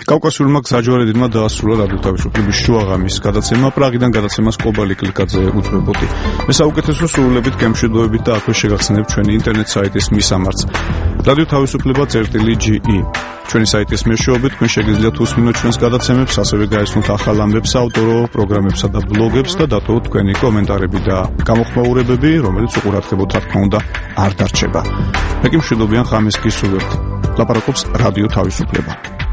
კავკასიურმა გზაჯვარედინმა დაასრულა რადიო თავისუფლების შუაღამის გადაცემა პრაღიდან გადაცემას კობალი კლიკაძე უძღვებოდი. მე საუკეთესო სურვილებით, გემშვიდობებით და აქვე შეგახსენებთ ჩვენი ინტერნეტ საიტის მისამართს რადიო თავისუფლება.ge. ჩვენი საიტის მეშვეობით თქვენ შეგიძლიათ უსმინოთ ჩვენს გადაცემებს, ასევე გაიცნოთ ახალ ამბებს, ავტორო პროგრამებსა და ბლოგებს და დატოვოთ თქვენი კომენტარები და გამოხმაურებები, რომელიც უყურადღებოდ, რა თქმა უნდა, არ დარჩება. მე კი მშვიდობიან ღამეს გისურვებთ. ლაპარაკობს რადიო თავისუფლება.